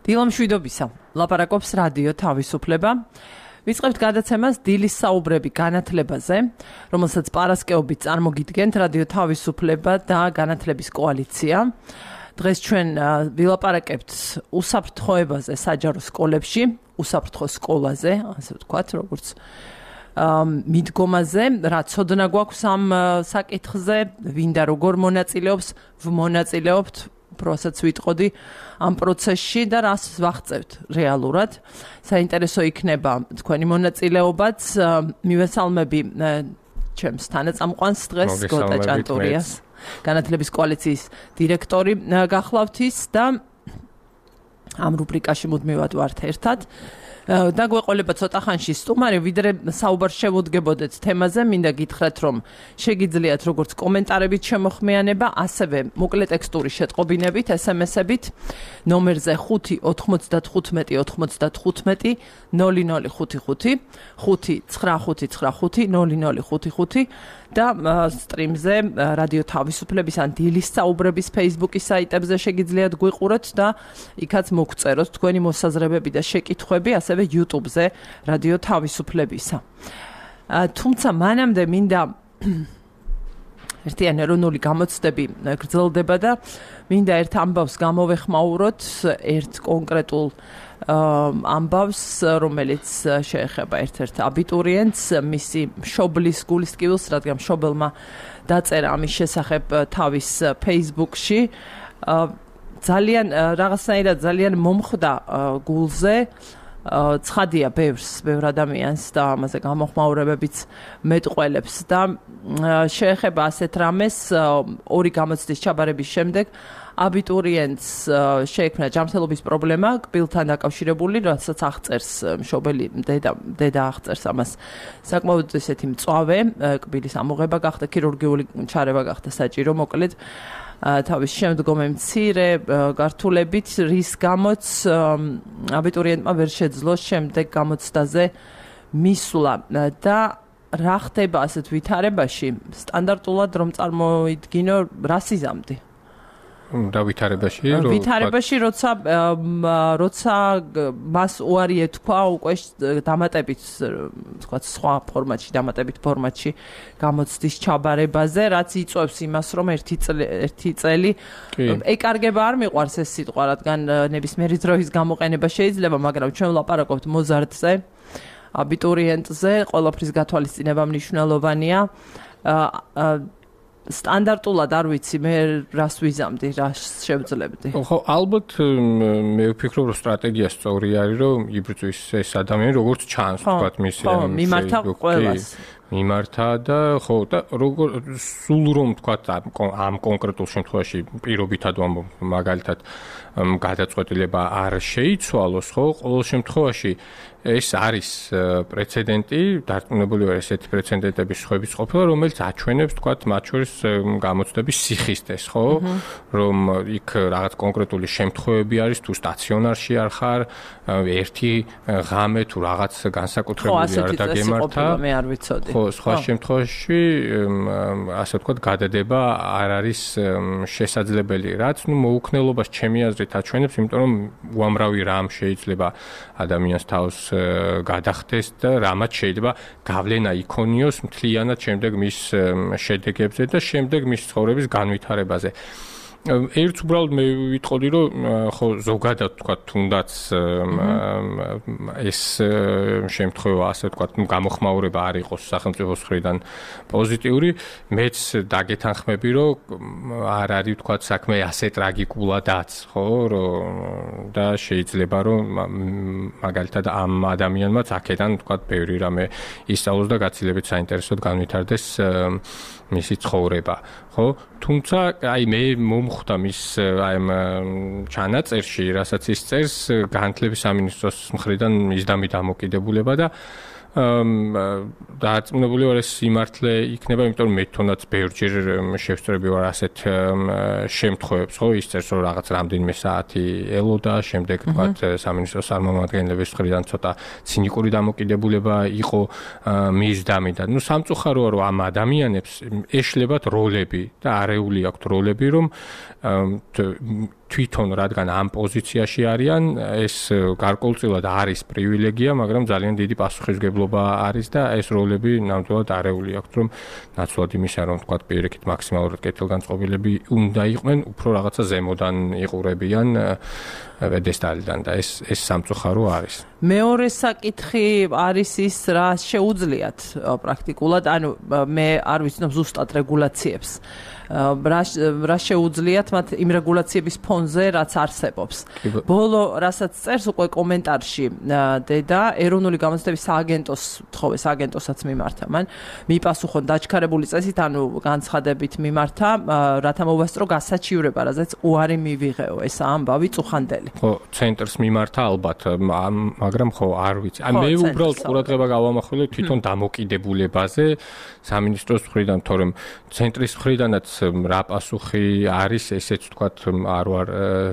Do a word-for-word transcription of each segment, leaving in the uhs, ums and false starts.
დილამშვიდობისა. ლაპარაკობს რადიო თავისუფლება. ვიწყებთ გადაცემას დილის საუბრები განათლებაზე, რომელსაც პარასკევობით წარმოგიდგენთ რადიო თავისუფლება და განათლების კოალიცია. დღეს ჩვენ ვილაპარაკებთ უსაფრთხოებაზე საჯარო სკოლებში, უსაფრთხო სკოლაზე, ასე ვთქვათ, როგორც მიდგომაზე, რა ცოდნა გვაქვს ამ საკითხზე, ვინ და როგორ მონაწილეობს, ვმონაწილეობთ, პროცესს ვიტყოდი ამ პროცესში და რას ვახწევთ რეალურად. საინტერესო იქნება თქვენი მონაწილეობაც. მივესალმები ჩემს თანაწამყვანს დღეს გოტა ჭანტურიას, განათლების კოალიციის დირექტორი გახლავთ ის და ამ რუბრიკაში მუდმივად ვართ ერთად. და გვეყოლება ცოტა ხანში სტუმარი, ვიდრე საუბარს შევუდგებოდეთ თემაზე, მინდა გითხრათ, რომ შეგიძლიათ როგორც კომენტარებით შემოხმიანება, ასევე მოკლე ტექსტური შეტყობინებით, ესემესებით, ნომერზე ხუთი ოთხმოცდათხუთმეტი ოთხმოცდათხუთმეტი ნული ნული ხუთი ხუთი, ხუთი ცხრა ხუთი ცხრა ხუთი ნული ნული ხუთი ხუთი და სტრიმზე რადიო თავისუფლების ან დილის საუბრების Facebook-ის საიტებზე შეგიძლიათ გვიყუროთ და იქაც მოგწეროთ თქვენი მოსაზრებები და შეკითხვები, ასევე YouTube-ზე რადიო თავისუფლებისა. თუმცა მანამდე მინდა ერთიანი ეროვნული გამოცდები გრძელდება და მინდა ერთ ამბავს გამოვეხმაუროთ, ერთ კონკრეტულ ამბავს, რომელიც შეეხება ერთ-ერთ აბიტურიენტს, მისი მშობლის გულისკივილს, რადგან მშობელმა დაწერა ამის შესახებ თავის Facebook-ში. ძალიან რაღაცნაირად ძალიან მომხვდა გულზე. ცხადია ბევრს, ბევრ ადამიანს და ამაზე გამოხმაურებებიც მეტყველებს და შეეხება ასეთ რამეს ორი გამოცდის ჩაბარების შემდეგ აბიტურიენტს შეექმნა ჯანმრთელობის პრობლემა კბილთან დაკავშირებული, რასაც აღწერს მშობელი დედა, დედა აღწერს ამას. საკმაოდ ესეთი მწვავე კბილის ამოღება გახდა, ქირურგიული ჩარევა გახდა საჭირო, მოკლედ თავის შემდგომი მცირე გართულებით, რის გამოც აბიტურიენტმა ვერ შეძლო შემდეგ გამოცდაზე მისვლა და რა ხდება ასეთ ვითარებაში, სტანდარტულად რომ წარმოიდგინო, რას იზამდი? და ვითარებაში, რომ ვითარებაში, როცა როცა მას უარი ეთქვა უკვე დამატებით, თქვა სხვა ფორმატში, დამატებით ფორმატში გამოცდის ჩაბარებაზე, რაც იწვევს იმას, რომ ერთი ერთი წელი ეკარგება არ მიყვარს ეს სიტყვა, რადგან ნებისმიერი დროის გამოყენება შეიძლება, მაგრამ ჩვენ ვლაპარაკობთ მოზარდზე, აბიტურიენტზე, ყველაფრის გათვალისწინება მნიშვნელოვანია. სტანდარტულად არ ვიცი მე რას ვიზამდი, რას შევძლებდი. ხო, ალბათ მე ვფიქრობ, რომ სტრატეგია სწორი არის, რომ იბრძვის ეს ადამიანი როგორც ჩანს, თქვათ მისი ამ მიმართა ყველას. მიმართა და ხო და როგორ სულ რომ თქვათ ამ კონკრეტულ შემთხვევაში პირობითად ვამბობ, მაგალითად გადაწყვეტილება არ შეიცვალოს, ხო, ყოველ შემთხვევაში ეს არის პრეცედენტი, დარწმუნებული ვარ ესეთი პრეცედენტების სხვების ყოფილა, რომელიც აჩვენებს, თქვათ, მათ შორის გამოცდების სიხისტეს, ხო? რომ იქ რაღაც კონკრეტული შემთხვევები არის, თუ სტაციონარში არ ხარ, ერთი ღამე თუ რაღაც განსაკუთრებული არ დაგემართა. მე არ ვიცოდი. ხო, სხვა შემთხვევაში, ასე ვთქვათ, გადადება არ არის შესაძლებელი, რაც ნუ მოუქნელობას ჩემი აზრით აჩვენებს, იმიტომ რომ უამრავი რამ შეიძლება ადამიანს თავს გადახდეს და რამაც შეიძლება გავლენა იქონიოს მთლიანად შემდეგ მის შედეგებზე და შემდეგ მის ცხოვრების განვითარებაზე. ერთ უბრალოდ მე ვიტყოდი, რომ ხო ზოგადად თქვა თუნდაც ეს შემთხვევა, ასე თქვა, გამოხმაურება არ იყოს სახელმწიფოს მხრიდან პოზიტიური, მეც დაგეთანხმები, რომ არ არის თქვა საქმე ასე ტრაგიკულადაც, ხო, რომ და შეიძლება რომ მაგალითად ამ ადამიანმაც აქედან თქვა ბევრი რამე ისწავლოს და გაცილებით საინტერესოდ განვითარდეს მისი ცხოვრება, ხო? თუმცა აი მე მომხვდა მის აი ამ ჩანაწერში, რასაც ის წერს განათლების სამინისტროს მხრიდან მისდამი დამოკიდებულება და დარწმუნებული ვარ ეს სიმართლე იქნება, იმიტომ რომ მე თვითონაც ბევრჯერ შევსწრები ვარ ასეთ შემთხვევებს, ხო, ის წერს რომ რაღაც რამდენიმე საათი ელოდა, შემდეგ თქვათ სამინისტროს წარმომადგენლების მხრიდან ცოტა ცინიკური დამოკიდებულება იყო მისდამი და ნუ სამწუხაროა რომ ამ ადამიანებს ეშლებათ როლები და არეული აქვთ როლები, რომ თვითონ რადგან ამ პოზიციაში არიან, ეს გარკვეულწილად არის პრივილეგია, მაგრამ ძალიან დიდი პასუხისმგებლობა არის და ეს როლები ნამდვილად არეული აქვს, რომ ნაცვლად იმისა, რომ თქვა პირიქით მაქსიმალურად კეთილგანწყობილები უნდა იყვნენ, უფრო რაღაცა ზემოდან იყურებიან პედესტალიდან და ეს ეს სამწუხარო არის. მეორე საკითხი არის ის, რა შეუძლიათ პრაქტიკულად, ანუ მე არ ვიცნობ ზუსტად რეგულაციებს. რა რა შეუძლიათ მათ იმ რეგულაციების ფონზე, რაც არსებობს. ბოლო რასაც წერს უკვე კომენტარში დედა ეროვნული გამოცდების სააგენტოს თხოვე სააგენტოსაც მიმართა მან მიპასუხონ დაჩქარებული წესით, ანუ განცხადებით მიმართა, რათა მოვასწრო გასაჩივრება, რაზეც უარი მივიღეო. ეს ამბავი წუხანდელი. ხო, ცენტრს მიმართა ალბათ, მაგრამ ხო, არ ვიცი. აი მე უბრალოდ ყურადღება გავამახვილე თვითონ დამოკიდებულებაზე სამინისტროს მხრიდან, თორემ ცენტრის მხრიდანაც რა პასუხი არის, ესეც ვთქვათ, არ ვარ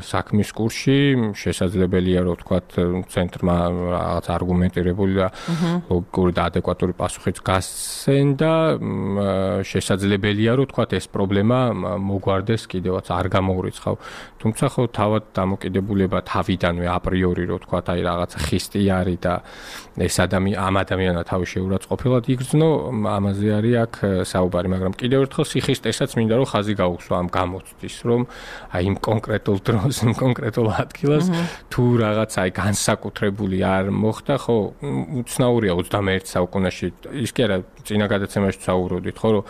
საქმის კურსში, შესაძლებელია რომ ვთქვათ ცენტრმა რაღაც არგუმენტირებული და ლოგიკური და ადეკვატური პასუხიც გასცენ და შესაძლებელია რომ ვთქვათ ეს პრობლემა მოგვარდეს კიდევაც არ გამოურიცხავ. თუმცა ხო თავად დამოკიდებულება თავიდანვე აპრიორი რომ ვთქვათ აი რაღაცა ხისტი არის და ეს ადამიანი ამ ადამიანმა თავი შეურაცხყოფილად იგრძნო, ამაზე არის აქ საუბარი, მაგრამ კიდევ ერთხელ სიხისტესაც მინდა რომ ხაზი გაუსვა ამ გამოცდის, რომ აი იმ კონკრეტულ დროს, იმ კონკრეტულ ადგილას თუ რაღაცა აი განსაკუთრებული არ მოხდა, ხო, უცნაურია ოცდამეერთე საუკუნეში. ის კი არა, წინა გადაცემაში ვსაუბრობდით, ხო, რომ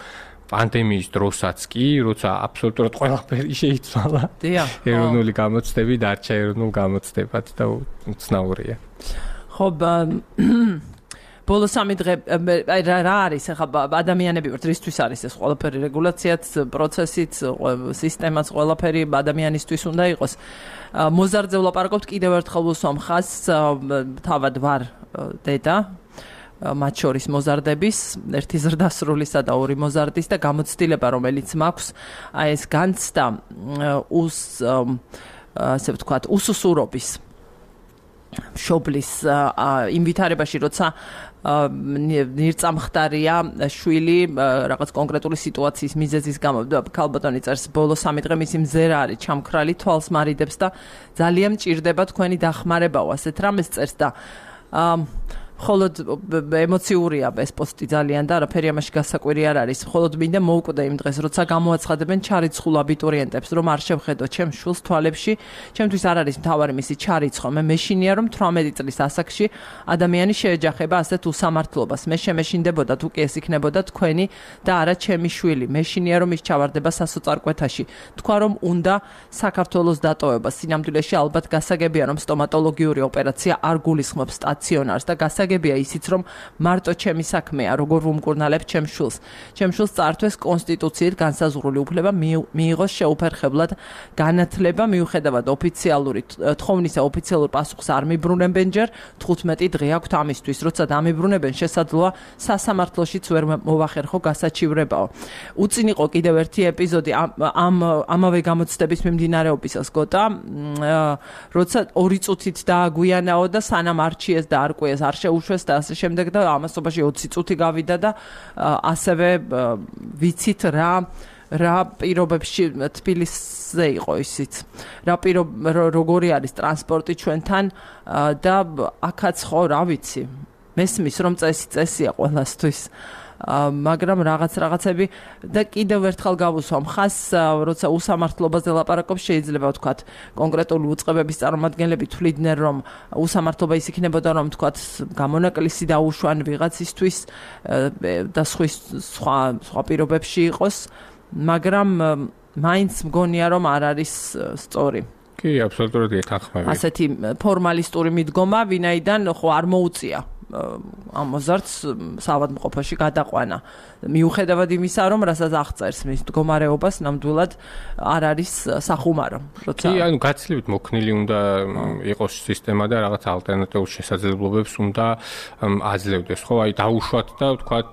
პანდემიის დროსაც კი, როცა აბსოლუტურად ყველაფერი შეიცვალა. დიახ. ეროვნული გამოცდები დარჩა ეროვნულ გამოცდებად და უცნაურია. ხო, ბოლო სამი დღე აი რა არის ახლა ადამიანები ვართ, რისთვის არის ეს ყველაფერი რეგულაციაც, პროცესიც, სისტემაც, ყველაფერი ადამიანისთვის უნდა იყოს. მოზარდზე ვლაპარაკობთ კიდევ ერთხელ ვუსვამ ხაზს, თავად ვარ დედა მათ შორის მოზარდების, ერთი ზრდასრულისა და ორი მოზარდის და გამოცდილება, რომელიც მაქვს, აი ეს განცდა უს ასე ვთქვათ, უსუსურობის მშობლის ინვითარებაში, როცა ნირწამხდარია შვილი რაღაც კონკრეტული სიტუაციის მიზეზის გამო. ქალბატონი წერს, ბოლო სამი დღე მისი მზერა არის ჩამქრალი, თვალს მარიდებს და ძალიან მჭირდება თქვენი დახმარებაო, ასეთ რამეს წერს და მხოლოდ ემოციურია ეს პოსტი ძალიან და არაფერი ამაში გასაკვირი არ არის. მხოლოდ მინდა მოვკვდე იმ დღეს, როცა გამოაცხადებენ ჩარიცხულ აბიტურიენტებს, რომ არ შევხედო ჩემ შვილს თვალებში, ჩემთვის არ არის მთავარი მისი ჩარიცხვა. მე მეშინია, რომ თვრამეტი წლის ასაკში ადამიანი შეეჯახება ასეთ უსამართლობას. მე შემეშინდებოდა თუ კი ეს იქნებოდა თქვენი და არა ჩემი შვილი. მეშინია, რომ ის ჩავარდება სასოწარკვეთაში. თქვა, რომ უნდა საქართველოს დატოვება. სინამდვილეში ალბათ გასაგებია, რომ სტომატოლოგიური ოპერაცია არ გულისხმობს სტაციონარს და გასაგებია გასაგებია ისიც, რომ მარტო ჩემი საქმეა, როგორ ვუმკურნალებ ჩემ შვილს. ჩემ შვილს წაართვეს კონსტიტუციით განსაზღვრული უფლება მიიღოს შეუფერხებლად განათლება, მიუხედავად ოფიციალური თხოვნისა ოფიციალურ პასუხს არ მიბრუნებენ ჯერ, თხუთმეტი დღე აქვთ ამისთვის, როცა დამიბრუნებენ, შესაძლოა სასამართლოშიც ვერ მოვახერხო გასაჩივრებაო. უწინ იყო კიდევ ერთი ეპიზოდი ამ ამავე გამოცდების მიმდინარეობისას გოტა, როცა ორი წუთით დააგვიანაო და სანამ არჩიეს და არკვიეს არ შეუშვეს და ასე შემდეგ და ამასობაში ოცი წუთი გავიდა და ასევე ვიცით რა რა პირობებში თბილისზე იყო ისიც. რა პირო როგორი არის ტრანსპორტი ჩვენთან და აქაც ხო რა ვიცი. მესმის რომ წესი წესია ყველასთვის. მაგრამ რაღაც რაღაცები და კიდევ ერთხელ გავუსვამ ხას, როცა უსამართლობაზე ლაპარაკობ, შეიძლება ვთქვათ, კონკრეტული უწყებების წარმომადგენლები თვლიდნენ, რომ უსამართლობა ის იქნებოდა, რომ ვთქვათ, გამონაკლისი დაუშვან ვიღაცისთვის და სხვა სხვა პირობებში იყოს, მაგრამ მაინც მგონია, რომ არ არის სწორი. კი, აბსოლუტურად ეთანხმები. ასეთი ფორმალისტური მიდგომა, ვინაიდან ხო არ მოუწია ამ მოზარდს საავადმყოფოში გადაყვანა. მიუხედავად იმისა, რომ რასაც აღწერს მის მდგომარეობას, ნამდვილად არ არის სახუმარო. კი, ანუ გაცილებით მოქნილი უნდა იყოს სისტემა და რაღაც ალტერნატიულ შესაძლებლობებს უნდა აძლევდეს. ხო, აი დაუშვათ და ვთქვათ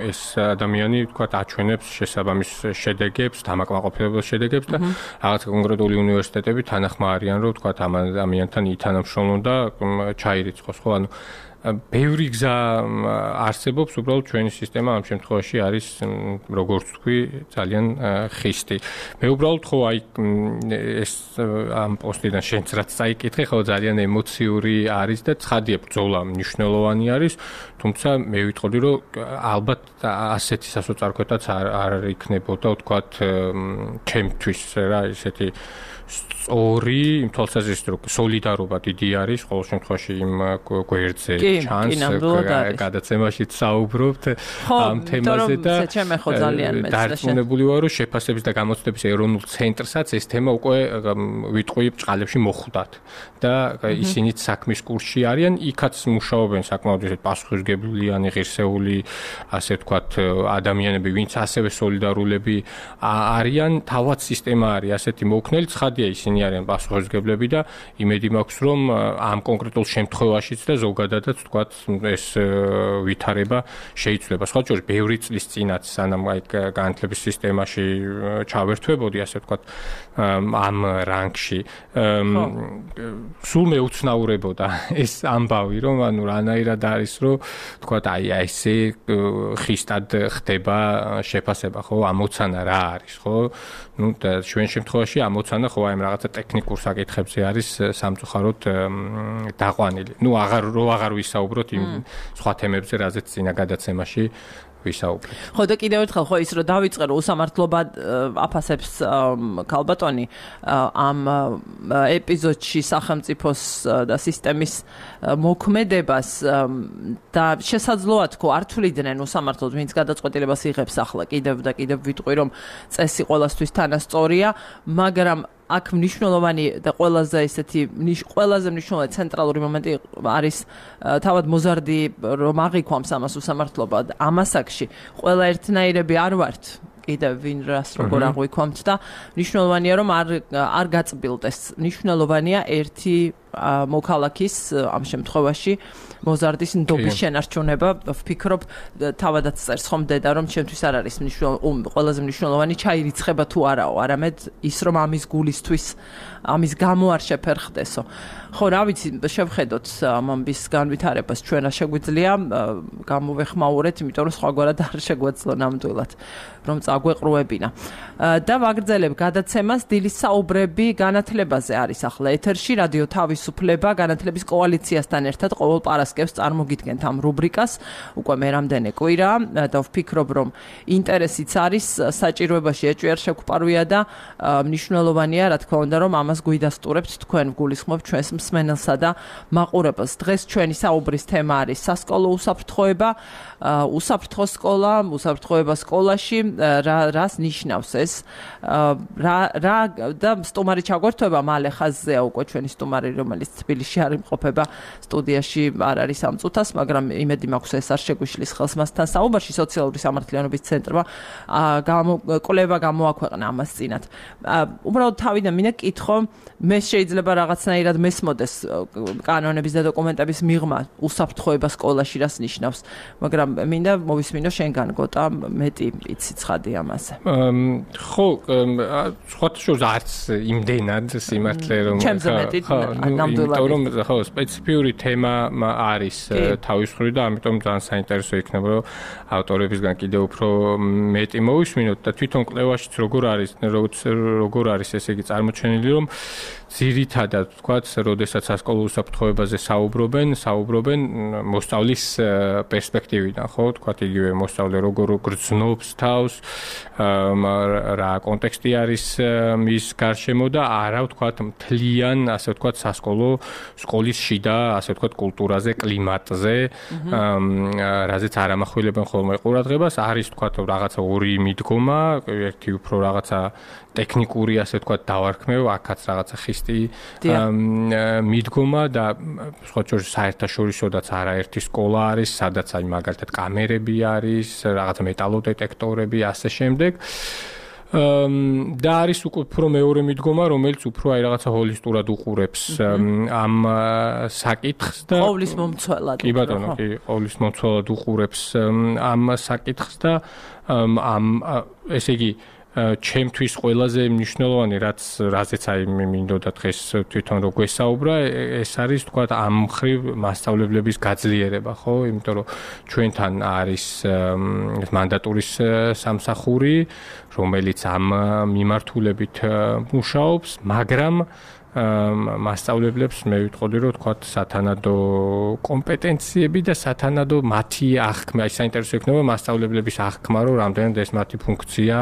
ეს ადამიანი ვთქვათ აჩვენებს შესაბამის შედეგებს, დამაკმაყოფილებელ შედეგებს და რაღაც კონკრეტული უნივერსიტეტები თანახმა არიან, რომ ვთქვათ ამ ადამიანთან ითანამშრომლონ და ჩაირიცხოს. ხო, ანუ ბევრი გზა არსებობს, უბრალოდ ჩვენი სისტემა ამ შემთხვევაში არის როგორც თქვი, ძალიან ხისტი. მე უბრალოდ ხო აი ეს ამ პოსტიდან შენც რაც წაიკითხე, ხო ძალიან ემოციური არის და ცხადია ბრძოლა მნიშვნელოვანი არის, თუმცა მე ვიტყოდი რომ ალბათ ასეთი სასოწარკვეთაც არ არ იქნებოდა ვთქვათ ჩემთვის რა ესეთი სწორი იმ თვალსაზრისით რომ სოლიდარობა დიდი არის ყოველ შემთხვევაში იმ გვერდზე ჩანს გადაცემაშიც საუბრობთ ამ თემაზე და დარწმუნებული ვარ რომ შეფასების და გამოცდების ეროვნულ ცენტრსაც ეს თემა უკვე ვიტყვი ბჭყალებში მოხვდათ და ისინიც საქმის კურსში არიან იქაც მუშაობენ საკმაოდ ისეთ პასუხისმგებლიანი ღირსეული ასე ვთქვათ ადამიანები ვინც ასევე სოლიდარულები არიან თავად სისტემა არის ასეთი მოქნელი ცხადია ისინი არიან პასუხისმგებლები და იმედი მაქვს რომ ამ კონკრეტულ შემთხვევაშიც და ზოგადადაც ვთქვათ ეს ვითარება შეიცვლება. სხვა შორის ბევრი წლის წინაც სანამ აი განათლების სისტემაში ჩავერთვებოდი ასე ვთქვათ ამ რანგში სულ მეუცნაურებოდა ეს ამბავი რომ ანუ რანაირად არის რომ ვთქვათ აი ესე ხისტად ხდება შეფასება ხო ამოცანა რა არის ხო ну და ჩვენ შემთხვევაში ამოცანა ხო აი რაღაცა ტექნიკურ საკითხებზე არის სამწუხაროდ დაყვანილი. ну აღარ რო აღარ ვისაუბროთ იმ სხვა თემებზე, რაზეც წინა გადაცემაში ვისაუბრეთ. ხო და კიდევ ერთხელ ხო ის რომ დავიწყე რომ უსამართლობა აფასებს ქალბატონი ამ ეპიზოდში სახელმწიფოს და სისტემის მოქმედებას და შესაძლოა თქო არ თვლიდნენ უსამართლოდ ვინც გადაწყვეტილებას იღებს ახლა კიდევ და კიდევ ვიტყვი რომ წესი ყოველასთვის თანასწორია, მაგრამ აქ მნიშვნელოვანი და ყველაზე ესეთი ყველაზე მნიშვნელოვანი ცენტრალური მომენტი არის თავად მოზარდი რომ აღიქვამს ამას უსამართლობა ამასაკში ყველა ერთნაირები არ ვართ კიდევ ვინ რას როგორ აღვიქვამთ და მნიშვნელოვანია რომ არ არ გაწბილდეს მნიშვნელოვანია ერთი მოქალაქის ამ შემთხვევაში მოზარდის ნდობის შენარჩუნება ვფიქრობ თავადაც წერს ხომ დედა რომ ჩემთვის არ არის მნიშვნელოვანი ყველაზე მნიშვნელოვანი ჩაირიცხება თუ არაო არამედ ის რომ ამის გულისთვის ამის გამო არ შეფერხდესო ხო რა ვიცი შევხედოთ ამბის განვითარებას ჩვენ რა შეგვიძლია გამოვეხმაურეთ იმიტომ რომ სხვაგვარად არ შეგვეძლო ნამდვილად რომ წაგვეყრუებინა და ვაგრძელებ გადაცემას დილის საუბრები განათლებაზე არის ახლა ეთერში რადიო თავისუფლება განათლების კოალიციასთან ერთად ყოველ პარასკევს წარმოგიდგენთ ამ რუბრიკას უკვე მე რამდენი კვირა და ვფიქრობ რომ ინტერესიც არის საჭიროებაში ეჭვიარ შეგყვარვია და მნიშვნელოვანია რა თქმა უნდა რომ ამას გვიდასტურებთ თქვენ გულისხმობ ჩვენს მსმენელსა და მაყურებელს დღეს ჩვენი საუბრის თემა არის სასკოლო უსაფრთხოება უსაფრთხო სკოლა უსაფრთხოება სკოლაში რა რას ნიშნავს ეს რა რა და სტუმარი ჩაგვერთვება მალე ხაზზეა უკვე ჩვენი სტუმარი რომელიც თბილისში არ იმყოფება სტუდიაში არ არის ამ წუთას მაგრამ იმედი მაქვს ეს არ შეგვიშლის ხელს მასთან საუბარში სოციალური სამართლიანობის ცენტრმა კვლევა გამოაქვეყნა ამას წინათ უბრალოდ თავიდან მინდა კითხო მე შეიძლება რაღაცნაირად მესმოდეს კანონების და დოკუმენტების მიღმა უსაფრთხოება სკოლაში რას ნიშნავს მაგრამ მინდა მოვისმინო შენგან გოტა მეტი იცი ცხადი ამაზე ხო სხვათა შორის არც იმდენად სიმართლე რომ იმიტომ რომ ხო სპეციფიური თემა არის თავის მხრივ და ამიტომ ძალიან საინტერესო იქნება რომ ავტორებისგან კიდევ უფრო მეტი მოვისმინოთ და თვითონ კვლევაშიც როგორ არის როგორ არის ესე იგი წარმოჩენილი რომ ძირითადად ვთქვათ, როდესაც სასკოლო უსაფრთხოებაზე საუბრობენ, საუბრობენ მოსწავლის პერსპექტივიდან, ხო, ვთქვათ, იგივე მოსწავლე როგორ გრძნობს თავს, რა კონტექსტი არის მის გარშემო და არა ვთქვათ, მთლიან, ასე ვთქვათ, სასკოლო სკოლის შიდა, ასე ვთქვათ, კულტურაზე, კლიმატზე, რაზეც არ ამახვილებენ ხოლმე ყურადღებას, არის ვთქვათ, რაღაცა ორი მიდგომა, ერთი უფრო რაღაცა ტექნიკური, ასე ვთქვათ, დავარქმევ, აქაც რაღაცა ხისტი მიდგომა და სხვა შორის საერთაშორისოდაც არაერთი სკოლა არის, სადაც აი მაგალითად კამერები არის, რაღაცა მეტალოდეტექტორები, ასე შემდეგ. და არის უფრო მეორე მიდგომა, რომელიც უფრო აი რაღაცა ჰოლისტურად უყურებს ამ საკითხს და ყოვლის მომცველად. კი ბატონო, კი, ყოვლის მომცველად უყურებს ამ საკითხს და ამ ესე იგი ჩემთვის ყველაზე მნიშვნელოვანი, რაც რაზეც აი მინდოდა დღეს თვითონ რო გვესაუბრა, ეს არის თქვა ამ მხრივ მასწავლებლების გაძლიერება, ხო? იმიტომ რომ ჩვენთან არის მანდატურის სამსახური, რომელიც ამ მიმართულებით მუშაობს, მაგრამ მასწავლებლებს მე ვიტყოდი რომ თქვა სათანადო კომპეტენციები და სათანადო მათი აღქმა, აი საინტერესო იქნება მასწავლებლების აღქმა, რომ რამდენად ეს მათი ფუნქცია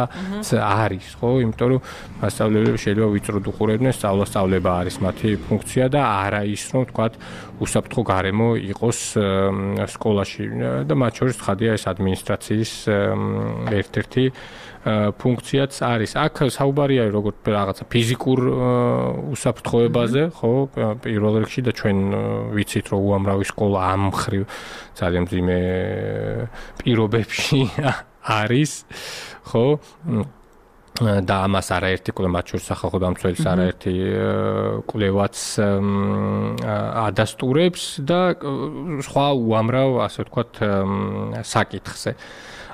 არის, ხო? იმიტომ რომ მასწავლებლები შეიძლება ვიწროდ უყურებდნენ, სწავლა-სწავლება არის მათი ფუნქცია და არა ის რომ თქვა უსაფრთხო გარემო იყოს სკოლაში და მათ შორის ცხადია ეს ადმინისტრაციის ერთ-ერთი ფუნქციაც არის. აქ საუბარია როგორც რაღაცა ფიზიკურ უსაფრთხოებაზე, ხო, პირველ რიგში და ჩვენ ვიცით რომ უამრავი სკოლა ამ მხრივ ძალიან მძიმე პირობებში არის, ხო? და ამას არაერთი კვლევა, მათ შორის სახალხო დამცველის არაერთი კვლევაც ადასტურებს და სხვა უამრავ, ასე ვთქვათ, საკითხზე.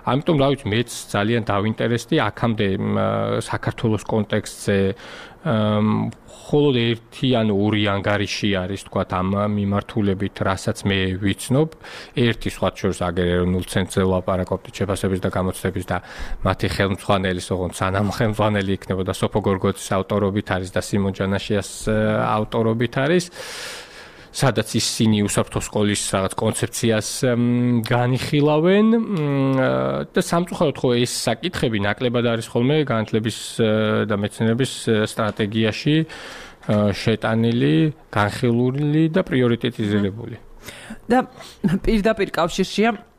ამიტომ რა ვიცი, მეც ძალიან დავინტერესდი აქამდე საქართველოს კონტექსტზე, მხოლოდ ერთი ან ორი ანგარიში არის, თქვა ამ მიმართულებით, რასაც მე ვიცნობ. ერთი სხვა შორის აგერ ეროვნულ ცენტრზე ვლაპარაკობთ შეფასების და გამოცდების და მათი ხელმძღვანელი, ოღონდ სანამ ხელმძღვანელი იქნებოდა სოფო გორგოძის ავტორობით არის და სიმონ ჯანაშიას ავტორობით არის. სადაც ისინი უსაფრთხო სკოლის რაღაც კონცეფციას განიხილავენ და სამწუხაროდ ხო ეს საკითხები ნაკლებად არის ხოლმე განათლების და მეცნიერების სტრატეგიაში შეტანილი, განხილული და პრიორიტეტიზირებული. და პირდაპირ კავშირშია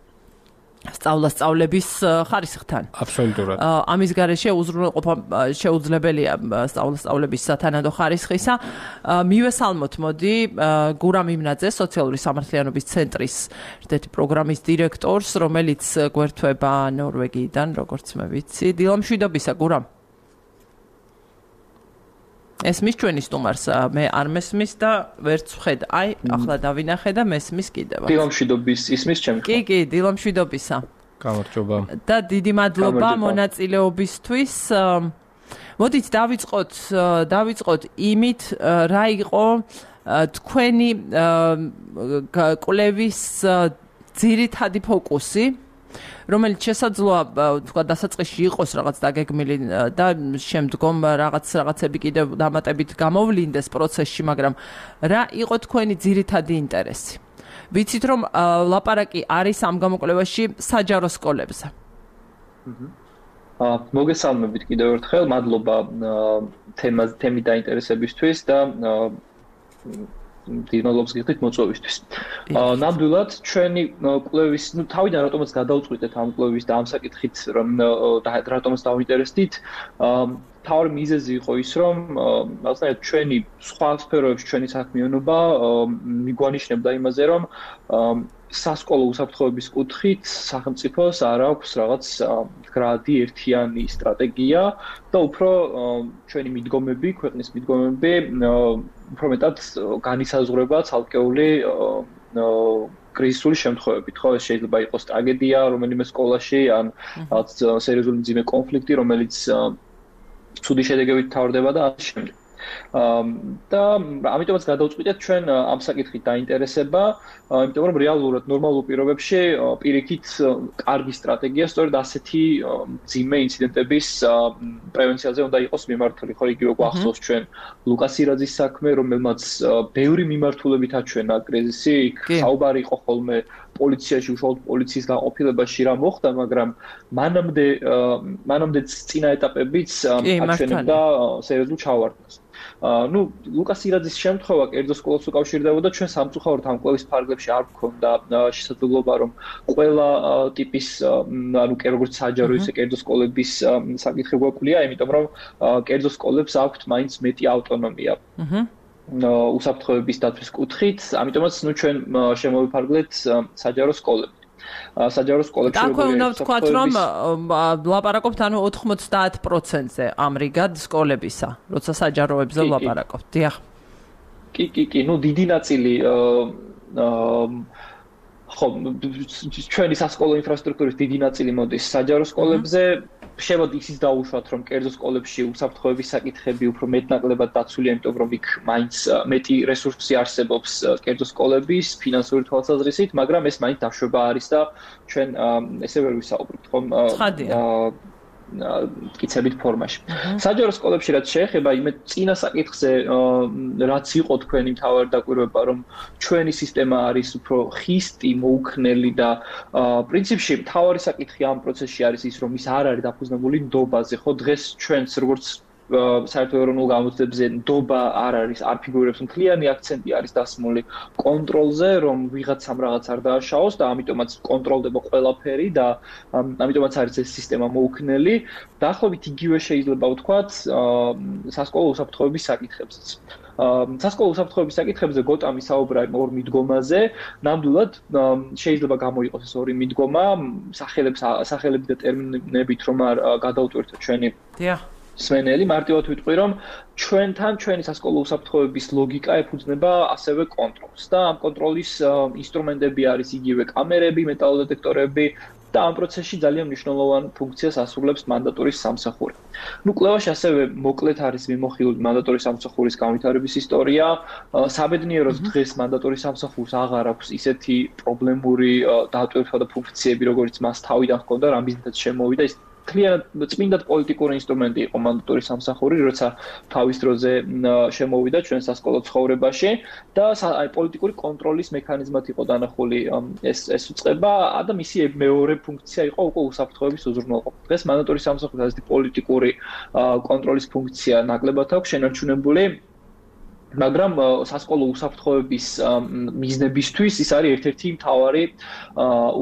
სწავლა-სწავლების ხარისხთან. აბსოლუტურად. ამის გარეშე უზრუნველყოფა შეუძლებელია სწავლა-სწავლების სათანადო ხარისხისა. მივესალმოთ, მოდი, გურამ იმნაძე, სოციალური სამართლიანობის ცენტრის ერთ-ერთი პროგრამის დირექტორს, რომელიც გვერდება ნორვეგიიდან, როგორც მე ვიცი. დილამშვიდობისა, გურამ. ესმის ჩვენი სტუმარს, მე არ მესმის და ვერც ვხედ. აი, ახლა დავინახე და მესმის კიდევ. დილამშვიდობის ისმის ჩემს. კი, კი, დილამშვიდობისა. გამარჯობა. და დიდი მადლობა მონაწილეობისთვის. მოდით დავიწყოთ, დავიწყოთ იმით, რა იყო თქვენი კვლევის ძირითადი ფოკუსი, რომელიც შესაძლოა თქვა დასაწყისში იყოს რაღაც დაგეგმილი და შემდგომ რაღაც რაღაცები კიდევ დამატებით გამოვლინდეს პროცესში, მაგრამ რა იყო თქვენი ძირითადი ინტერესი? ვიცით რომ ლაპარაკი არის ამ გამოკვლევაში საჯარო სკოლებზე. აა მოგესალმებით კიდევ ერთხელ, მადლობა თემას თემის დაინტერესებისთვის და დინოლობს გიხდით მოწვევისთვის. აა ნამდვილად ჩვენი კვლევის, ნუ თავიდან რატომაც გადავწყვიტეთ ამ კვლევის და ამ საკითხით რომ რატომაც დავინტერესდით, აა თავი მიზეზი იყო ის რომ რაღაცნაირად ჩვენი სხვა სფეროებში ჩვენი საქმიანობა მიგვანიშნებდა იმაზე რომ სასკოლო უსაფრთხოების კუთხით სახელმწიფოს არ აქვს რაღაც გრადი ერთიანი სტრატეგია და უფრო ჩვენი მიდგომები, ქვეყნის მიდგომები უფრო მეტად განისაზღვრება ცალკეული კრიზისული შემთხვევებით, ხო, ეს შეიძლება იყოს ტრაგედია რომელიმე სკოლაში ან რაღაც სერიოზული მძიმე კონფლიქტი, რომელიც ცუდი შედეგებით თავდება და ამის შემდეგ. და ამიტომაც გადავწყვიტეთ ჩვენ ამ საკითხით დაინტერესება, იმიტომ რომ რეალურად ნორმალურ პირობებში პირიქით კარგი სტრატეგია სწორედ ასეთი მძიმე ინციდენტების პრევენციაზე უნდა იყოს მიმართული. ხო, იგივე გვახსოვს ჩვენ ლუკას ირაძის საქმე, რომელმაც ბევრი მიმართულებით აჩვენა კრიზისი, იქ საუბარი იყო ხოლმე პოლიციაში, უშუალოდ პოლიციის გაყოფილებაში რა მოხდა, მაგრამ მანამდე მანამდე წინა ეტაპებიც აჩვენებდა სერიოზულ ჩავარდნას. ნუ ლუკას ირაძის შემთხვევა კერძო სკოლას უკავშირდებოდა, ჩვენ სამწუხაროდ ამ კვლევის ფარგლებში არ გქონდა შესაძლებლობა რომ ყველა ტიპის ანუ როგორც საჯარო ისე კერძო სკოლების საკითხი გვაქვს, იმიტომ რომ კერძო სკოლებს აქვთ მაინც მეტი ავტონომია. აჰა. უსაფრთხოების დაცვის კუთხით, ამიტომაც ნუ ჩვენ შემოვიფარგლეთ საჯარო სკოლები. საჯარო სკოლებში როგორია? აქვე უნდა ვთქვათ, რომ ლაპარაკობთ ანუ ოთხმოცდაათ პროცენტზე ამრიგად სკოლებისა, როცა საჯაროებზე ლაპარაკობთ. დიახ. კი, კი, კი, ნუ დიდი ნაწილი ხო, ჩვენი სასკოლო ინფრასტრუქტურის დიდი ნაწილი მოდის საჯარო სკოლებზე. შევად ისიც დაუშვათ, რომ კერძო სკოლებში უსაფრთხოების საკითხები უფრო მეტნაკლებად დაცულია, იმიტომ რომ იქ მაინც მეტი რესურსი არსებობს კერძო სკოლების ფინანსური თვალსაზრისით, მაგრამ ეს მაინც დაშვება არის და ჩვენ ესე ვერ ვისაუბრებთ, ხომ? მტკიცებით ფორმაში. საჯარო სკოლებში რაც შეეხება იმე წინა საკითხზე, რაც იყო თქვენი მთავარი დაკვირვება, რომ ჩვენი სისტემა არის უფრო ხისტი, მოუქნელი და პრინციპში მთავარი საკითხი ამ პროცესში არის ის, რომ ის არ არის დაფუძნებული ნდობაზე, ხო? დღეს ჩვენც როგორც საერთო ეროვნულ გამოცდებზე ნდობა არ არის, არ ფიგურირებს, მთლიანი აქცენტი არის დასმული კონტროლზე, რომ ვიღაცამ რაღაც არ დააშაოს და ამიტომაც კონტროლდება ყველაფერი და ამიტომაც არის ეს სისტემა მოუქნელი. დაახლოებით იგივე შეიძლება ვთქვათ სასკოლო უსაფრთხოების საკითხებზეც. სასკოლო უსაფრთხოების საკითხებზე გოტამ ისაუბრა ორ მიდგომაზე, ნამდვილად შეიძლება გამოიყოს ეს ორი მიდგომა, სახელებს სახელები და ტერმინებით რომ არ გადავტვირთოთ ჩვენი დიახ სვენელი, მარტივად ვიტყვი, რომ ჩვენთან ჩვენი სასკოლო უსაფრთხოების ლოგიკა ეფუძნება ასევე კონტროლს და ამ კონტროლის ინსტრუმენტები არის იგივე კამერები, მეტალოდეტექტორები და ამ პროცესში ძალიან მნიშვნელოვან ფუნქციას ასრულებს მანდატურის სამსახური. ნუ კვლევაში ასევე მოკლედ არის მიმოხილული მანდატურის სამსახურის განვითარების ისტორია. საბედნიეროდ დღეს მანდატურის სამსახურს აღარ აქვს ისეთი პრობლემური დატვირთვა და ფუნქციები, როგორც მას თავიდან ჰქონდა, რამ მიზნითაც შემოვიდა ის კლიანტ წმინდად პოლიტიკური ინსტრუმენტი იყო მანდატურის სამსახური, როცა თავის დროზე შემოვიდა ჩვენ სასკოლო ცხოვრებაში და აი პოლიტიკური კონტროლის მექანიზმად იყო დანახული ეს ეს უწყება და მისი მეორე ფუნქცია იყო უკვე უსაფრთხოების უზრუნველყოფა. დღეს მანდატურის სამსახურს ასეთი პოლიტიკური კონტროლის ფუნქცია ნაკლებად აქვს შენარჩუნებული, მაგრამ სასკოლო უსაფრთხოების მიზნებისთვის ის არის ერთ-ერთი მთავარი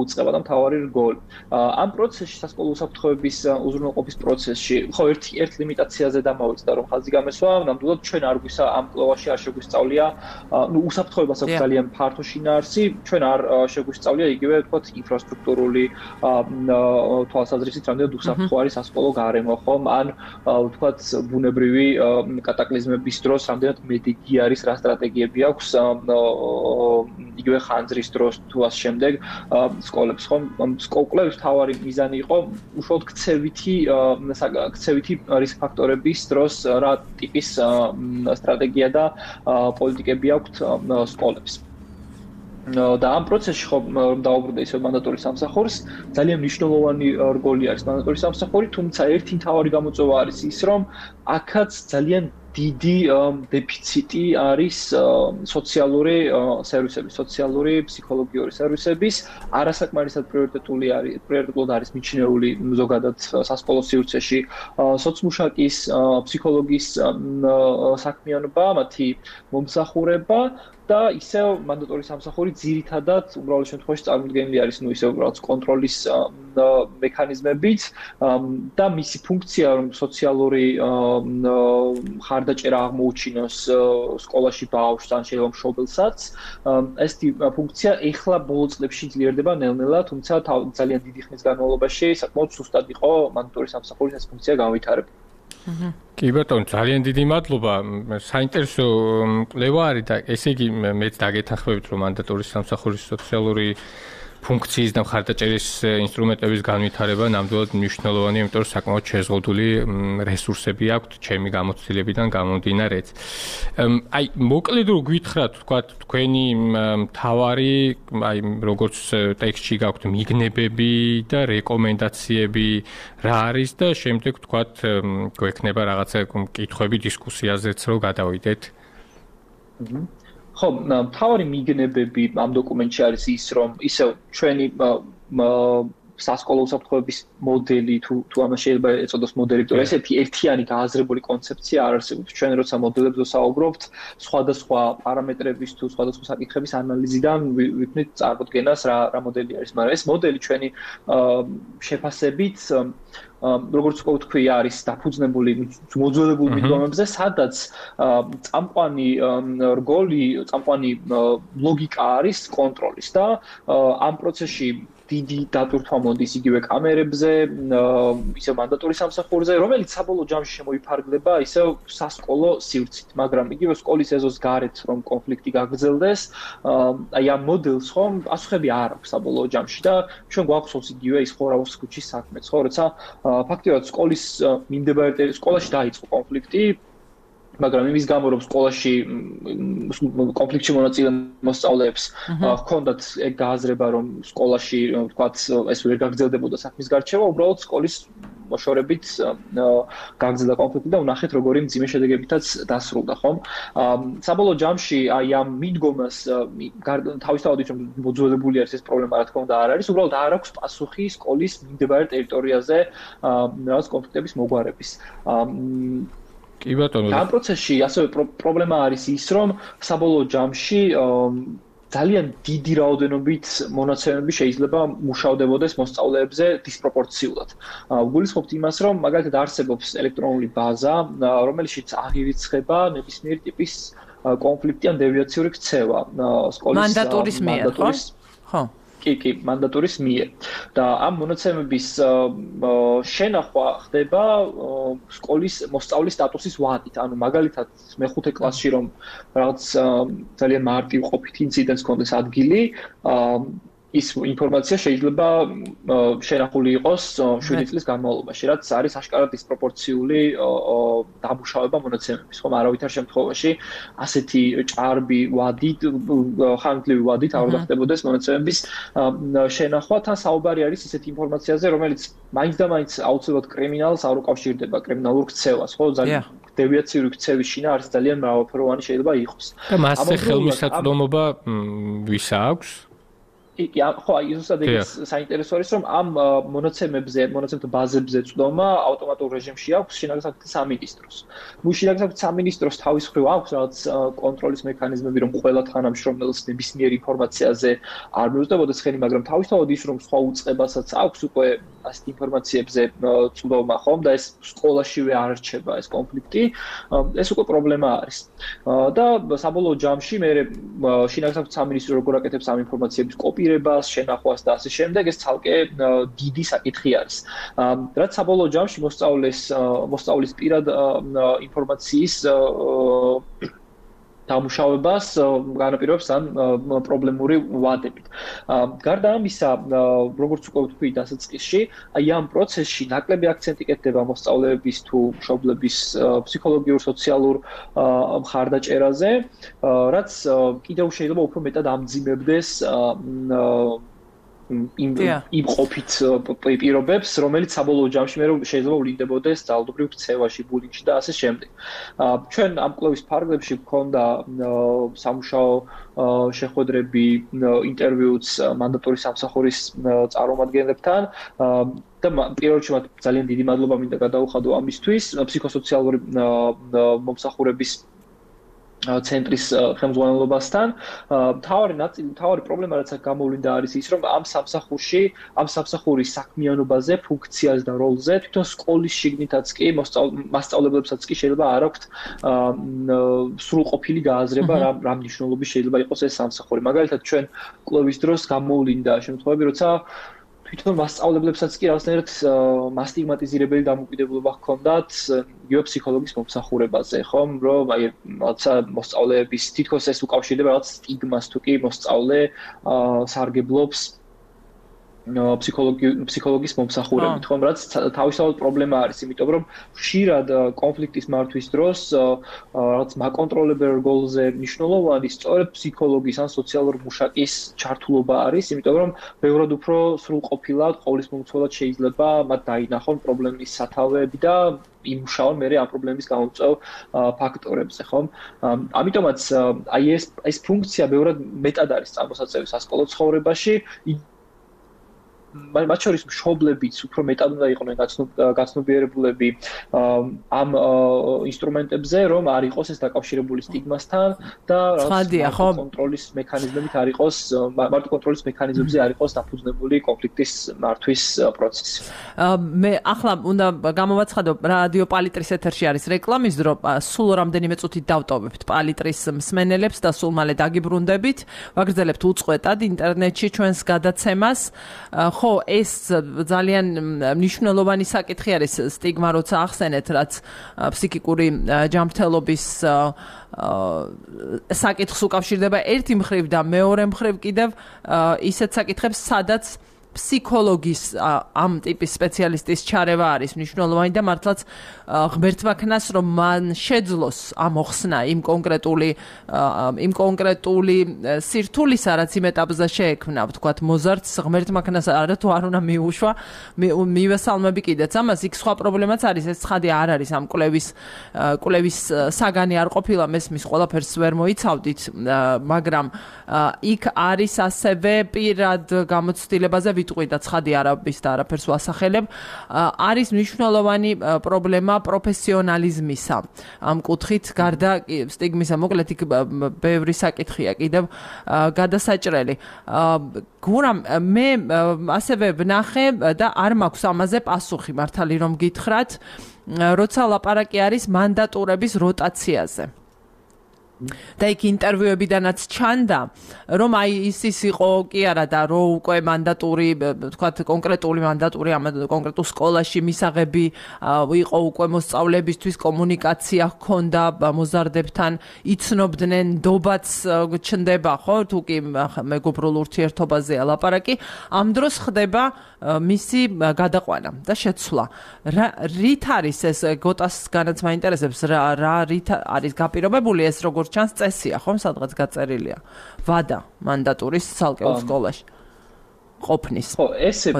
უწყება და მთავარი რგოლი. ამ პროცესში სასკოლო უსაფრთხოების უზრუნველყოფის პროცესში, ხო, ერთი ერთ ლიმიტაციაზე დამავიწყდა, რომ ხაზი გამესვა, ნამდვილად ჩვენ არ გვისა ამ კვლევაში არ შეგვისწავლია, ნუ უსაფრთხოებას აქვს ძალიან ფართო შინაარსი, ჩვენ არ შეგვისწავლია იგივე ვთქვათ ინფრასტრუქტურული თვალსაზრისით, რამდენად უსაფრთხო არის სასკოლო გარემო, ხომ? ან ვთქვათ ბუნებრივი კატაკლიზმების დროს რამდენად მეტი კი არის რა სტრატეგიები აქვს იგივე ხანძრის დროს თუ ამ შემდეგ სკოლებს, ხომ? სკოლების თავარი მიზანი იყო უშუალოდ ქცევითი ქცევითი რისკ ფაქტორების დროს რა ტიპის სტრატეგია და პოლიტიკები აქვთ სკოლებს. და ამ პროცესში ხო დაუბრუნდა ისე მანდატურის სამსახურს, ძალიან მნიშვნელოვანი რგოლი არის მანდატურის სამსახური, თუმცა ერთი მთავარი გამოწვევა არის ის, რომ აქაც ძალიან დიდი დეფიციტი არის სოციალური სერვისების, სოციალური, ფსიქოლოგიური სერვისების, არასაკმარისად პრიორიტეტული არის, პრიორიტეტულად არის მიჩნეული ზოგადად სასკოლო სივრცეში სოციმუშაკის, ფსიქოლოგის საქმიანობა, მათი მომსახურება და ისევ მანდატურის სამსახური ძირითადად უბრალოდ შემთხვევაში წარმოდგენილი არის ნუ ისევ უბრალოდ კონტროლის მექანიზმებით და მისი ფუნქცია რომ სოციალური ხარდაჭერა აღმოუჩინოს სკოლაში ბავშვს ან შეიძლება მშობელსაც ეს ფუნქცია ეხლა ბოლო წლებში ძლიერდება ნელ-ნელა, თუმცა ძალიან დიდი ხნის განმავლობაში საკმაოდ სუსტად იყო მანდატურის სამსახურის ეს ფუნქცია განვითარებული. კი ბატონო, ძალიან დიდი მადლობა. საინტერესო კვლევა არის და ესე იგი მეც დაგეთანხმებით, რომ მანდატურის სამსახურის სოციალური ფუნქციის და მხარდაჭერის ინსტრუმენტების განვითარება ნამდვილად მნიშვნელოვანია, იმიტომ რომ საკმაოდ შეზღუდული რესურსები აქვთ ჩემი გამოცდილებიდან გამომდინარეც. აი, მოკლედ რო გითხრათ, თქვა თქვენი მთავარი, აი, როგორც ტექსტში გაქვთ მიგნებები და რეკომენდაციები რა არის და შემდეგ თქვა გვექნება რაღაცა კითხვები დისკუსიაზეც რო გადავიდეთ. ხო, მთავარი მიგნებები ამ დოკუმენტში არის ის, რომ ისევ ჩვენი სასკოლო უსაფრთხოების მოდელი თუ თუ ამას შეიძლება ეწოდოს მოდელი, იმიტომ რომ ეს ერთიანი გააზრებული კონცეფცია არ არსებობს. ჩვენ როცა მოდელებზე ვსაუბრობთ, სხვადასხვა პარამეტრების თუ სხვადასხვა საკითხების ანალიზიდან ვიქნით წარმოდგენას რა რა მოდელი არის, მაგრამ ეს მოდელი ჩვენი შეფასებით როგორც ვთქვი, არის დაფუძნებული მოძველებულ მიდგომებზე, სადაც წამყვანი რგოლი, წამყვანი ლოგიკა არის კონტროლის და ამ პროცესში დიდი დატვირთვა მოდის იგივე კამერებზე, ისევ მანდატურის სამსახურზე, რომელიც საბოლოო ჯამში შემოიფარგლება ისევ სასკოლო სივრცით, მაგრამ იგივე სკოლის ეზოს გარეთ რომ კონფლიქტი გაგრძელდეს, აი ამ მოდელს ხომ პასუხები არ აქვს საბოლოო ჯამში და ჩვენ გვახსოვს იგივე ის ხორავის ქუჩის საქმეც, ხო, როცა ფაქტიურად სკოლის მიმდებარე სკოლაში დაიწყო კონფლიქტი მაგრამ იმის გამო რომ სკოლაში კონფლიქტში მონაწილე მოსწავლეებს ჰქონდათ ეგ გააზრება რომ სკოლაში ვთქვათ ეს ვერ გაგრძელდებოდა საქმის გარჩევა უბრალოდ სკოლის მოშორებით გაგრძელდა კონფლიქტი და უნახეთ როგორი მძიმე შედეგებითაც დასრულდა ხომ საბოლოო ჯამში აი ამ მიდგომას თავისთავად ის რომ მოძველებული არის ეს პრობლემა რა თქმა უნდა არ არის უბრალოდ არ აქვს პასუხი სკოლის მიმდებარე ტერიტორიაზე რაღაც კონფლიქტების მოგვარების კი ბატონო ამ პროცესში ასევე პრობლემა არის ის რომ საბოლოო ჯამში ძალიან დიდი რაოდენობით მონაცემები შეიძლება მუშავდებოდეს მოსწავლეებზე დისპროპორციულად. ვგულისხმობთ იმას, რომ მაგალითად არსებობს ელექტრონული ბაზა, რომელშიც აღირიცხება ნებისმიერი ტიპის კონფლიქტი ან დევიაციური ქცევა სკოლის მანდატურის მიერ, ხო? ხო. კი, კი, მანდატურის მიერ. და ამ მონაცემების შენახვა ხდება სკოლის მოსწავლის სტატუსის ვადით. ანუ მაგალითად მეხუთე კლასში რომ რაღაც ძალიან მარტივ ყოფით ინციდენტს კონდეს ადგილი, ის ინფორმაცია შეიძლება შენახული იყოს შვიდი წლის განმავლობაში, რაც არის აშკარად დისპროპორციული დამუშავება მონაცემების, ხომ არავითარ შემთხვევაში ასეთი ჭარბი ვადით, ხანგრძლივი ვადით არ უნდა ხდებოდეს მონაცემების შენახვა, თან საუბარი არის ისეთი ინფორმაციაზე, რომელიც მაინც და მაინც აუცილებლად კრიმინალს არ უკავშირდება, კრიმინალურ ქცევას, ხო, ძალიან დევიაციური ქცევის შინა არის ძალიან მრავალფეროვანი შეიძლება იყოს. და მასზე ხელმისაწვდომობა ვის აქვს? კი, ხო, აი ზუსტად ეს საინტერესო არის, რომ ამ მონაცემებზე, მონაცემთა ბაზებზე წვდომა ავტომატურ რეჟიმში აქვს შინაგან საქმეთა სამინისტროს. ნუ შინაგან საქმეთა სამინისტროს თავის მხრივ აქვს რაღაც კონტროლის მექანიზმები, რომ ყველა თანამშრომელს ნებისმიერ ინფორმაციაზე არ მიუძლებოდეს ხელი, მაგრამ თავისთავად ის, რომ სხვა უწყებასაც აქვს უკვე ასეთ ინფორმაციებზე წვდომა, ხომ და ეს სკოლაშივე არ რჩება ეს კონფლიქტი, ეს უკვე პრობლემა არის. და საბოლოო ჯამში მე შინაგან საქმეთა სამინისტრო როგორ აკეთებს ამ ინფორმაციების კოპირებას შენახვას და ასე შემდეგ ეს ცალკე დიდი საკითხი არის. რაც საბოლოო ჯამში მოსწავლეს მოსწავლის პირად ინფორმაციის დამუშავებას განაპირობებს ამ პრობლემური ვადებით. გარდა ამისა, როგორც უკვე ვთქვი დასაწყისში, აი ამ პროცესში ნაკლები აქცენტი კეთდება მოსწავლეების თუ მშობლების ფსიქოლოგიურ, სოციალურ მხარდაჭერაზე, რაც კიდევ შეიძლება უფრო მეტად ამძიმებდეს იმ იმ ყოფით პირობებს, რომელიც საბოლოო ჯამში მე შეიძლება ვლინდებოდეს ძალადობრივ ქცევაში, ბულინგში და ასე შემდეგ. ჩვენ ამ კვლევის ფარგლებში გვქონდა სამუშაო შეხვედრები, ინტერვიუც მანდატური სამსახურის წარმომადგენლებთან და პირველ რიგში მათ ძალიან დიდი მადლობა მინდა გადაუხადო ამისთვის, ფსიქოსოციალური მომსახურების ცენტრის ხელმძღვანელობასთან. თავარი ნაწილი, თავარი პრობლემა რაც აქ გამოვლინდა არის ის, რომ ამ სამსახურში, ამ სამსახურის საქმიანობაზე, ფუნქციაზე და როლზე თვითონ სკოლის შიგნითაც კი მასწავლებლებსაც კი შეიძლება არ აქვთ სრულყოფილი გააზრება რა რა მნიშვნელობის შეიძლება იყოს ეს სამსახური. მაგალითად ჩვენ კვლევის დროს გამოვლინდა შემთხვევები, როცა თვითონ მასწავლებლებსაც კი რაღაცნაირად მასტიგმატიზირებელი დამოკიდებულება ჰქონდათ იგივე ფსიქოლოგის მომსახურებაზე, ხომ, რომ აი რაღაცა მოსწავლეების თითქოს ეს უკავშირდება რაღაც სტიგმას თუ კი მოსწავლე სარგებლობს ფსიქოლოგის მომსახურებით, ხომ, რაც თავისთავად პრობლემა არის, იმიტომ რომ ხშირად კონფლიქტის მართვის დროს რაღაც მაკონტროლებელ როლზე მნიშვნელოვანი სწორედ ფსიქოლოგის ან სოციალურ მუშაკის ჩართულობა არის, იმიტომ რომ ბევრად უფრო სრულყოფილად ყოვლისმომცველად შეიძლება მათ დაინახონ პრობლემის სათავეები და იმუშაონ მე ამ პრობლემის გამომწვევ ფაქტორებზე, ხომ? ამიტომაც აი ეს ეს ფუნქცია ბევრად მეტად არის წარმოსაწევი სასკოლო ცხოვრებაში. მათ შორის მშობლებიც უფრო მეტად უნდა იყვნენ გაცნობიერებულები ამ ინსტრუმენტებზე, რომ არ იყოს ეს დაკავშირებული სტიგმასთან და ცხადია, ხო? კონტროლის მექანიზმებით არ იყოს, მარტო კონტროლის მექანიზმებზე არ იყოს დაფუძნებული კონფლიქტის მართვის პროცესი. მე ახლა უნდა გამოვაცხადო, რადიო პალიტრის ეთერში არის რეკლამის დრო, სულ რამდენიმე წუთით დავტოვებთ პალიტრის მსმენელებს და სულ მალე დაგიბრუნდებით, ვაგრძელებთ უწყვეტად ინტერნეტში ჩვენს გადაცემას. ხო, ეს ძალიან მნიშვნელოვანი საკითხი არის სტიგმა, როცა ახსენეთ, რაც ფსიქიკური ჯანმრთელობის საკითხს უკავშირდება ერთი მხრივ და მეორე მხრივ კიდევ ისეთ საკითხებს, სადაც ფსიქოლოგის ამ ტიპის სპეციალისტის ჩარევა არის მნიშვნელოვანი და მართლაც ღმერთმა ქნას რომ მან შეძლოს ამ მოხსნა იმ კონკრეტული იმ კონკრეტული სირთულისა რაც იმ ეტაპზე შეექმნა ვთქვათ მოზარდს ღმერთმა ქნას არა თუ არ უნდა მიუშვა მივესალმები კიდეც ამას იქ სხვა პრობლემაც არის ეს ცხადი არ არის ამ კვლევის კვლევის საგანი არ ყოფილა მესმის ყველაფერს ვერ მოიცავდით მაგრამ იქ არის ასევე პირად გამოცდილებაზე ვიტყვი და ცხადი არაფერს და არაფერს ვასახელებ არის მნიშვნელოვანი პრობლემა პროფესიონალიზმისა ამ კუთხით გარდა სტიგმისა მოკლედ იქ ბევრი საკითხია კიდევ გადასაჭრელი გურამ მე ასევე ვნახე და არ მაქვს ამაზე პასუხი მართალი რომ გითხრათ როცა ლაპარაკი არის მანდატურების როტაციაზე და იქ ინტერვიუებიდანაც ჩანდა რომ აი ის ის იყო კი არა და რო უკვე მანდატური თქვათ კონკრეტული მანდატური ამ კონკრეტულ სკოლაში მისაღები იყო უკვე მოსწავლებისთვის კომუნიკაცია ჰქონდა მოზარდებთან იცნობდნენ ნდობაც ჩნდება ხო თუ კი მეგობრულ ურთიერთობაზეა ლაპარაკი ამ დროს ხდება მისი გადაყვანა და შეცვლა რით არის ეს გოტას განაც მაინტერესებს რა რა რით არის გაპირობებული ეს როგორ ჩანს წესია ხომ სადღაც გაწერილია ვადა მანდატურის ცალკეულ სკოლაში ყოფნის ხო ესე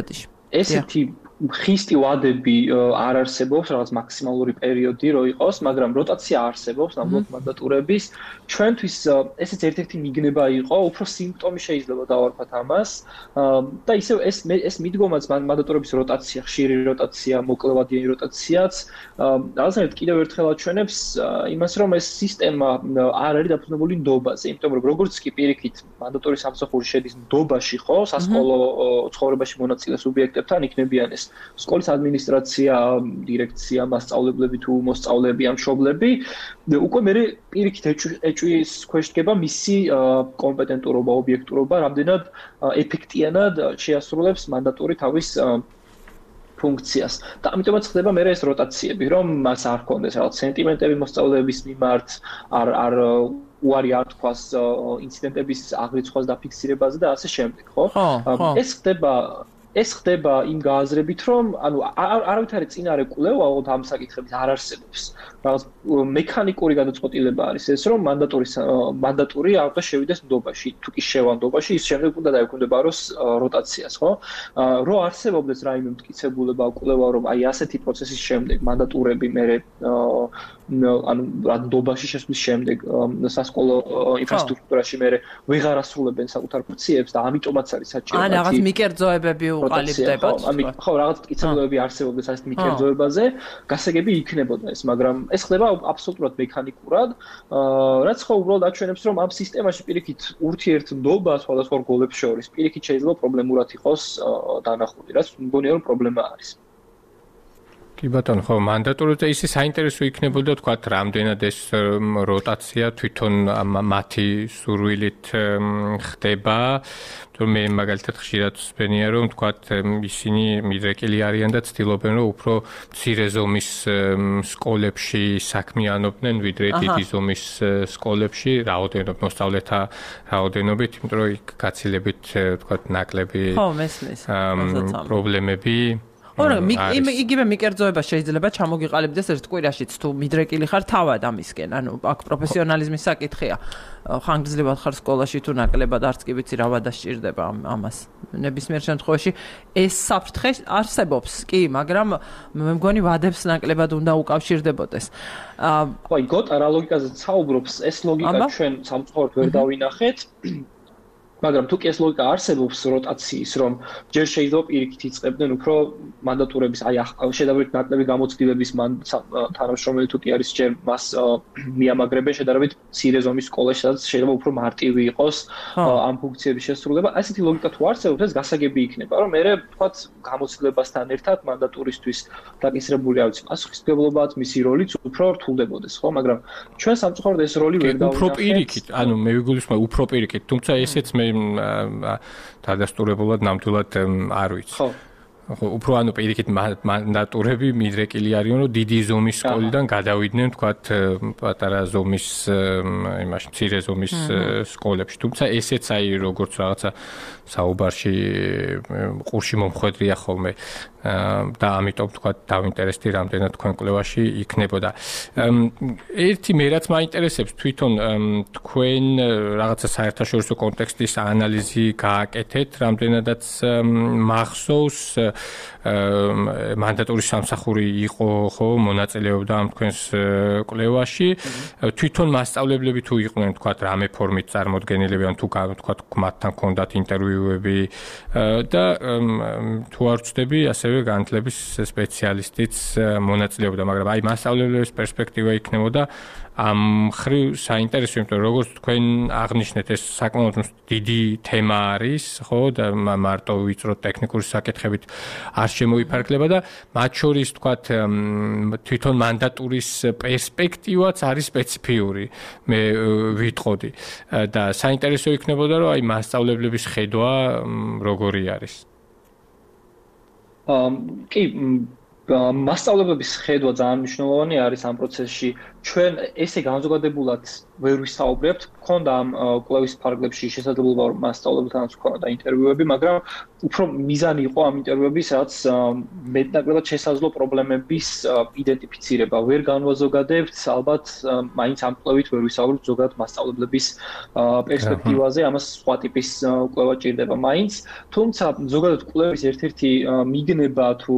ესეთი ხისტი ვადები არ არსებობს რაღაც მაქსიმალური პერიოდი რო იყოს მაგრამ როტაცია არსებობს ნამდვილად მანდატურების ჩვენთვის ესეც ერთ-ერთი მიგნება იყო უფრო სიმპტომი შეიძლება დავარქვათ ამას და ისევ ეს ეს მიდგომაც მანდატურების როტაცია ხშირი როტაცია მოკლევადიანი როტაციაც რაღაცნაირად კიდევ ერთხელ აჩვენებს იმას რომ ეს სისტემა არ არის დაფუძნებული ნდობაზე იმიტომ რომ როგორც კი პირიქით მანდატურის სამსახური შედის ნდობაში ხო სასკოლო ცხოვრებაში მონაწილე სუბიექტებთან იქნებიან ეს სკოლის ადმინისტრაცია, დირექცია, მასწავლებლები თუ მოსწავლეები ან მშობლები, უკვე მე პირიქით ეჭვის ქვეშ დგება მისი კომპეტენტურობა, ობიექტურობა, რამდენად ეფექტიანად შეასრულებს მანდატური თავის ფუნქციას. და ამიტომაც ხდება მე ეს როტაციები, რომ მას არ ქონდეს რაღაც სენტიმენტები მოსწავლეების მიმართ, არ არ უარი არ თქვას ინციდენტების აღრიცხვას დაფიქსირებაზე და ასე შემდეგ, ხო? ეს ხდება ეს ხდება იმ გააზრებით, რომ ანუ არავითარი წინარე კვლევა ამ საკითხების არ არსებობს. რაღაც მექანიკური გადაწყვეტილება არის ეს, რომ მანდატურის მანდატური არ უნდა შევიდეს ნდობაში, თუ კი შევა ნდობაში, ის შემდეგ უნდა დაექვემდებაროს როტაციას, ხო? რო არსებობდეს რაიმე მტკიცებულება კვლევა, რომ აი ასეთი პროცესის შემდეგ მანდატურები მე ანუ ნდობაში შესვლის შემდეგ სასკოლო ინფრასტრუქტურაში მე ვეღარ ასრულებენ საკუთარ ფუნქციებს და ამიტომაც არის საჭირო. ან რაღაც მიკერძოებები უყალიბდებათ. ხო, რაღაც მტკიცებულებები არსებობდეს ასეთ მიკერძოებაზე, გასაგები იქნებოდა ეს, მაგრამ ეს ხდება აბსოლუტურად მექანიკურად, რაც ხო უბრალოდ აჩვენებს, რომ ამ სისტემაში პირიქით ურთიერთმდობა სხვადასხვა რგოლებს შორის პირიქით შეიძლება პრობლემურად იყოს დანახული, რაც მგონია რომ პრობლემა არის. კი ბატონო, ხო, მანდატურაზე ისე საინტერესო იქნებოდა თქვათ, რამდენად ეს როტაცია თვითონ მათი სურვილით ხდება. რომ მე მაგალითად ხშირად ვსვენია რომ თქვათ ისინი მიდრეკილი არიან და ცდილობენ რომ უფრო მცირე ზომის სკოლებში საქმიანობდნენ ვიდრე დიდი ზომის სკოლებში რაოდენობით მოსწავლეთა რაოდენობით იმიტომ რომ იქ გაცილებით თქვათ ნაკლები ხო მესმის პრობლემები ორ იგივე მიკერძოება შეიძლება ჩამოგიყალიბდეს ერთ კვირაშიც თუ მიდრეკილი ხარ თავად ამისკენ ანუ აქ პროფესიონალიზმის საკითხია ხანგრძლივად ხარ სკოლაში თუ ნაკლებად არც კი ვიცი რა ვადა სჭირდება ამას ნებისმიერ შემთხვევაში ეს საფრთხე არსებობს კი მაგრამ მე მგონი ვადებს ნაკლებად უნდა უკავშირდებოდეს ხო აი გოტა რა ლოგიკაზე საუბრობს ეს ლოგიკა ჩვენ სამწუხაროდ ვერ დავინახეთ მაგრამ თუ კი ეს ლოგიკა არსებობს როტაციის, რომ ჯერ შეიძლება პირიქით იწყებდნენ უფრო მანდატურების, აი შედარებით ნაკლები გამოცდილების თანამშრომელი თუ კი არის ჯერ მას მიამაგრებენ შედარებით მცირე ზომის სკოლაში, სადაც შეიძლება უფრო მარტივი იყოს ამ ფუნქციების შესრულება. ასეთი ლოგიკა თუ არსებობს, ეს გასაგები იქნება, რომ მე ვთქვათ გამოცდილებასთან ერთად მანდატურისთვის დაკისრებული არ ვიცი, პასუხისმგებლობაც, მისი როლიც უფრო რთულდებოდეს, ხო? მაგრამ ჩვენ სამწუხაროდ ეს როლი ვერ დავინახეთ. უფრო პირიქით, ანუ მე ვიგულისხმობ უფრო პირიქით, თუმცა ესეც მე დადასტურებულად ნამდვილად არ ვიცი. ხო. უფრო ანუ პირიქით მანდატურები მიდრეკილი არიან, რომ დიდი ზომის სკოლიდან გადავიდნენ, თქვათ, პატარა ზომის იმაში, მცირე ზომის სკოლებში. თუმცა ესეც აი როგორც რაღაცა საუბარში ყურში მომხვედრია ხოლმე და ამიტომ თქვა დავინტერესდი რამდენად თქვენ კვლევაში იქნებოდა. ერთი მე რაც მაინტერესებს თვითონ თქვენ რაღაცა საერთაშორისო კონტექსტის ანალიზი გააკეთეთ, რამდენადაც მახსოვს მანდატური სამსახური იყო ხო მონაწილეობდა ამ თქვენს კვლევაში. თვითონ მასწავლებლები თუ იყვნენ თქვა რამე ფორმით წარმოდგენილები ან თუ თქვა მათთან ჰქონდათ ინტერვიუები და თუ არ ვწდები ასევე განათლების სპეციალისტიც მონაწილეობდა, მაგრამ აი მასწავლებლების პერსპექტივა იქნებოდა ამ ხრივ საინტერესო, იმიტომ რომ როგორც თქვენ აღნიშნეთ, ეს საკმაოდ დიდი თემა არის, ხო, და მარტო ვიწრო ტექნიკური საკითხებით არ შემოიფარგლება და მათ შორის თქვათ თვითონ მანდატურის პერსპექტივაც არის სპეციფიური, მე ვიტყოდი და საინტერესო იქნებოდა, რომ აი მასწავლებლების ხედვა როგორი არის. კი მასწავლებლების ხედვა ძალიან მნიშვნელოვანი არის ამ პროცესში. ჩვენ ესე განზოგადებულად ვერ ვისაუბრებთ, ქონდა ამ კვლევის ფარგლებში შესაძლებლობა რომ მასწავლებელთანაც ქონდა ინტერვიუები, მაგრამ უფრო მიზანი იყო ამ ინტერვიუების, რაც მეტნაკლებად შესაძლო პრობლემების იდენტიფიცირება. ვერ განვაზოგადებთ, ალბათ მაინც ამ კვლევით ვერ ვისაუბრებთ ზოგადად მასწავლებლების პერსპექტივაზე, ამას სხვა ტიპის კვლევა ჭირდება მაინც, თუმცა ზოგადად კვლევის ერთ-ერთი მიგნება თუ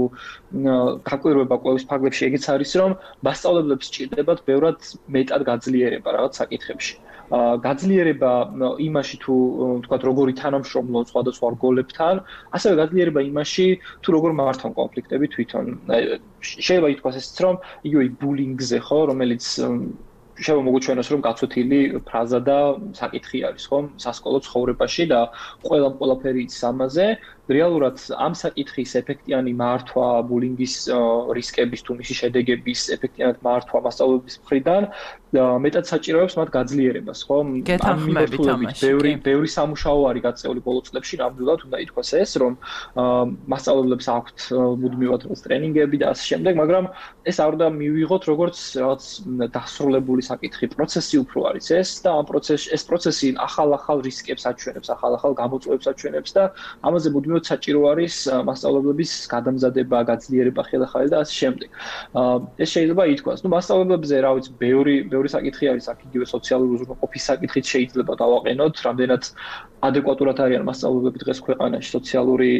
გაკვირვება კვლევის ფარგლებში ეგეც არის, რომ მასწავლებლებს ჭირდებათ ბევრად მეტად გაძლიერება რაღაც საკითხებში. გაძლიერება იმაში თუ თქვათ როგორი თანამშრომლობ სხვადასხვა რგოლებთან, ასევე გაძლიერება იმაში თუ როგორ მართავენ კონფლიქტები თვითონ. შეიძლება ითქვას ესეც რომ იგივე ბულინგზე ხო, რომელიც შეიძლება მოგუჩვენოს რომ გაცვეთილი ფრაზა და საკითხი არის ხო სასკოლო ცხოვრებაში და ყველა ყველაფერი იცის ამაზე. რეალურად ამ საკითხის ეფექტიანი მართვა, ბულინგის რისკების თუ მისი შედეგების ეფექტიანად მართვა მასწავლებლების მხრიდან მეტად საჭიროებს მათ გაძლიერებას, ხო? ამ მიმართულებით ბევრი ბევრი სამუშაო არის გაწეული ბოლო წლებში, ნამდვილად უნდა ითქვას ეს, რომ მასწავლებლებს აქვთ მუდმივად ტრენინგები და ასე შემდეგ, მაგრამ ეს არ უნდა მივიღოთ როგორც რაღაც დასრულებული საკითხი, პროცესი უფრო არის ეს და ამ პროცესში ეს პროცესი ახალ-ახალ რისკებს აჩვენებს, ახალ-ახალ გამოწვევებს აჩვენებს და ამაზე მუდმივად საჭირო არის მასწავლებლების გადამზადება, გაძლიერება ხელახალი და ასე შემდეგ. ეს შეიძლება ითქვას. ნუ მასწავლებლებზე რა ვიცი, ბევრი ბევრი საკითხი არის, აქ იგივე სოციალური უზრუნველყოფის საკითხით შეიძლება დავაყენოთ, რამდენად ადეკვატურად არიან მასწავლებლები დღეს ქვეყანაში სოციალური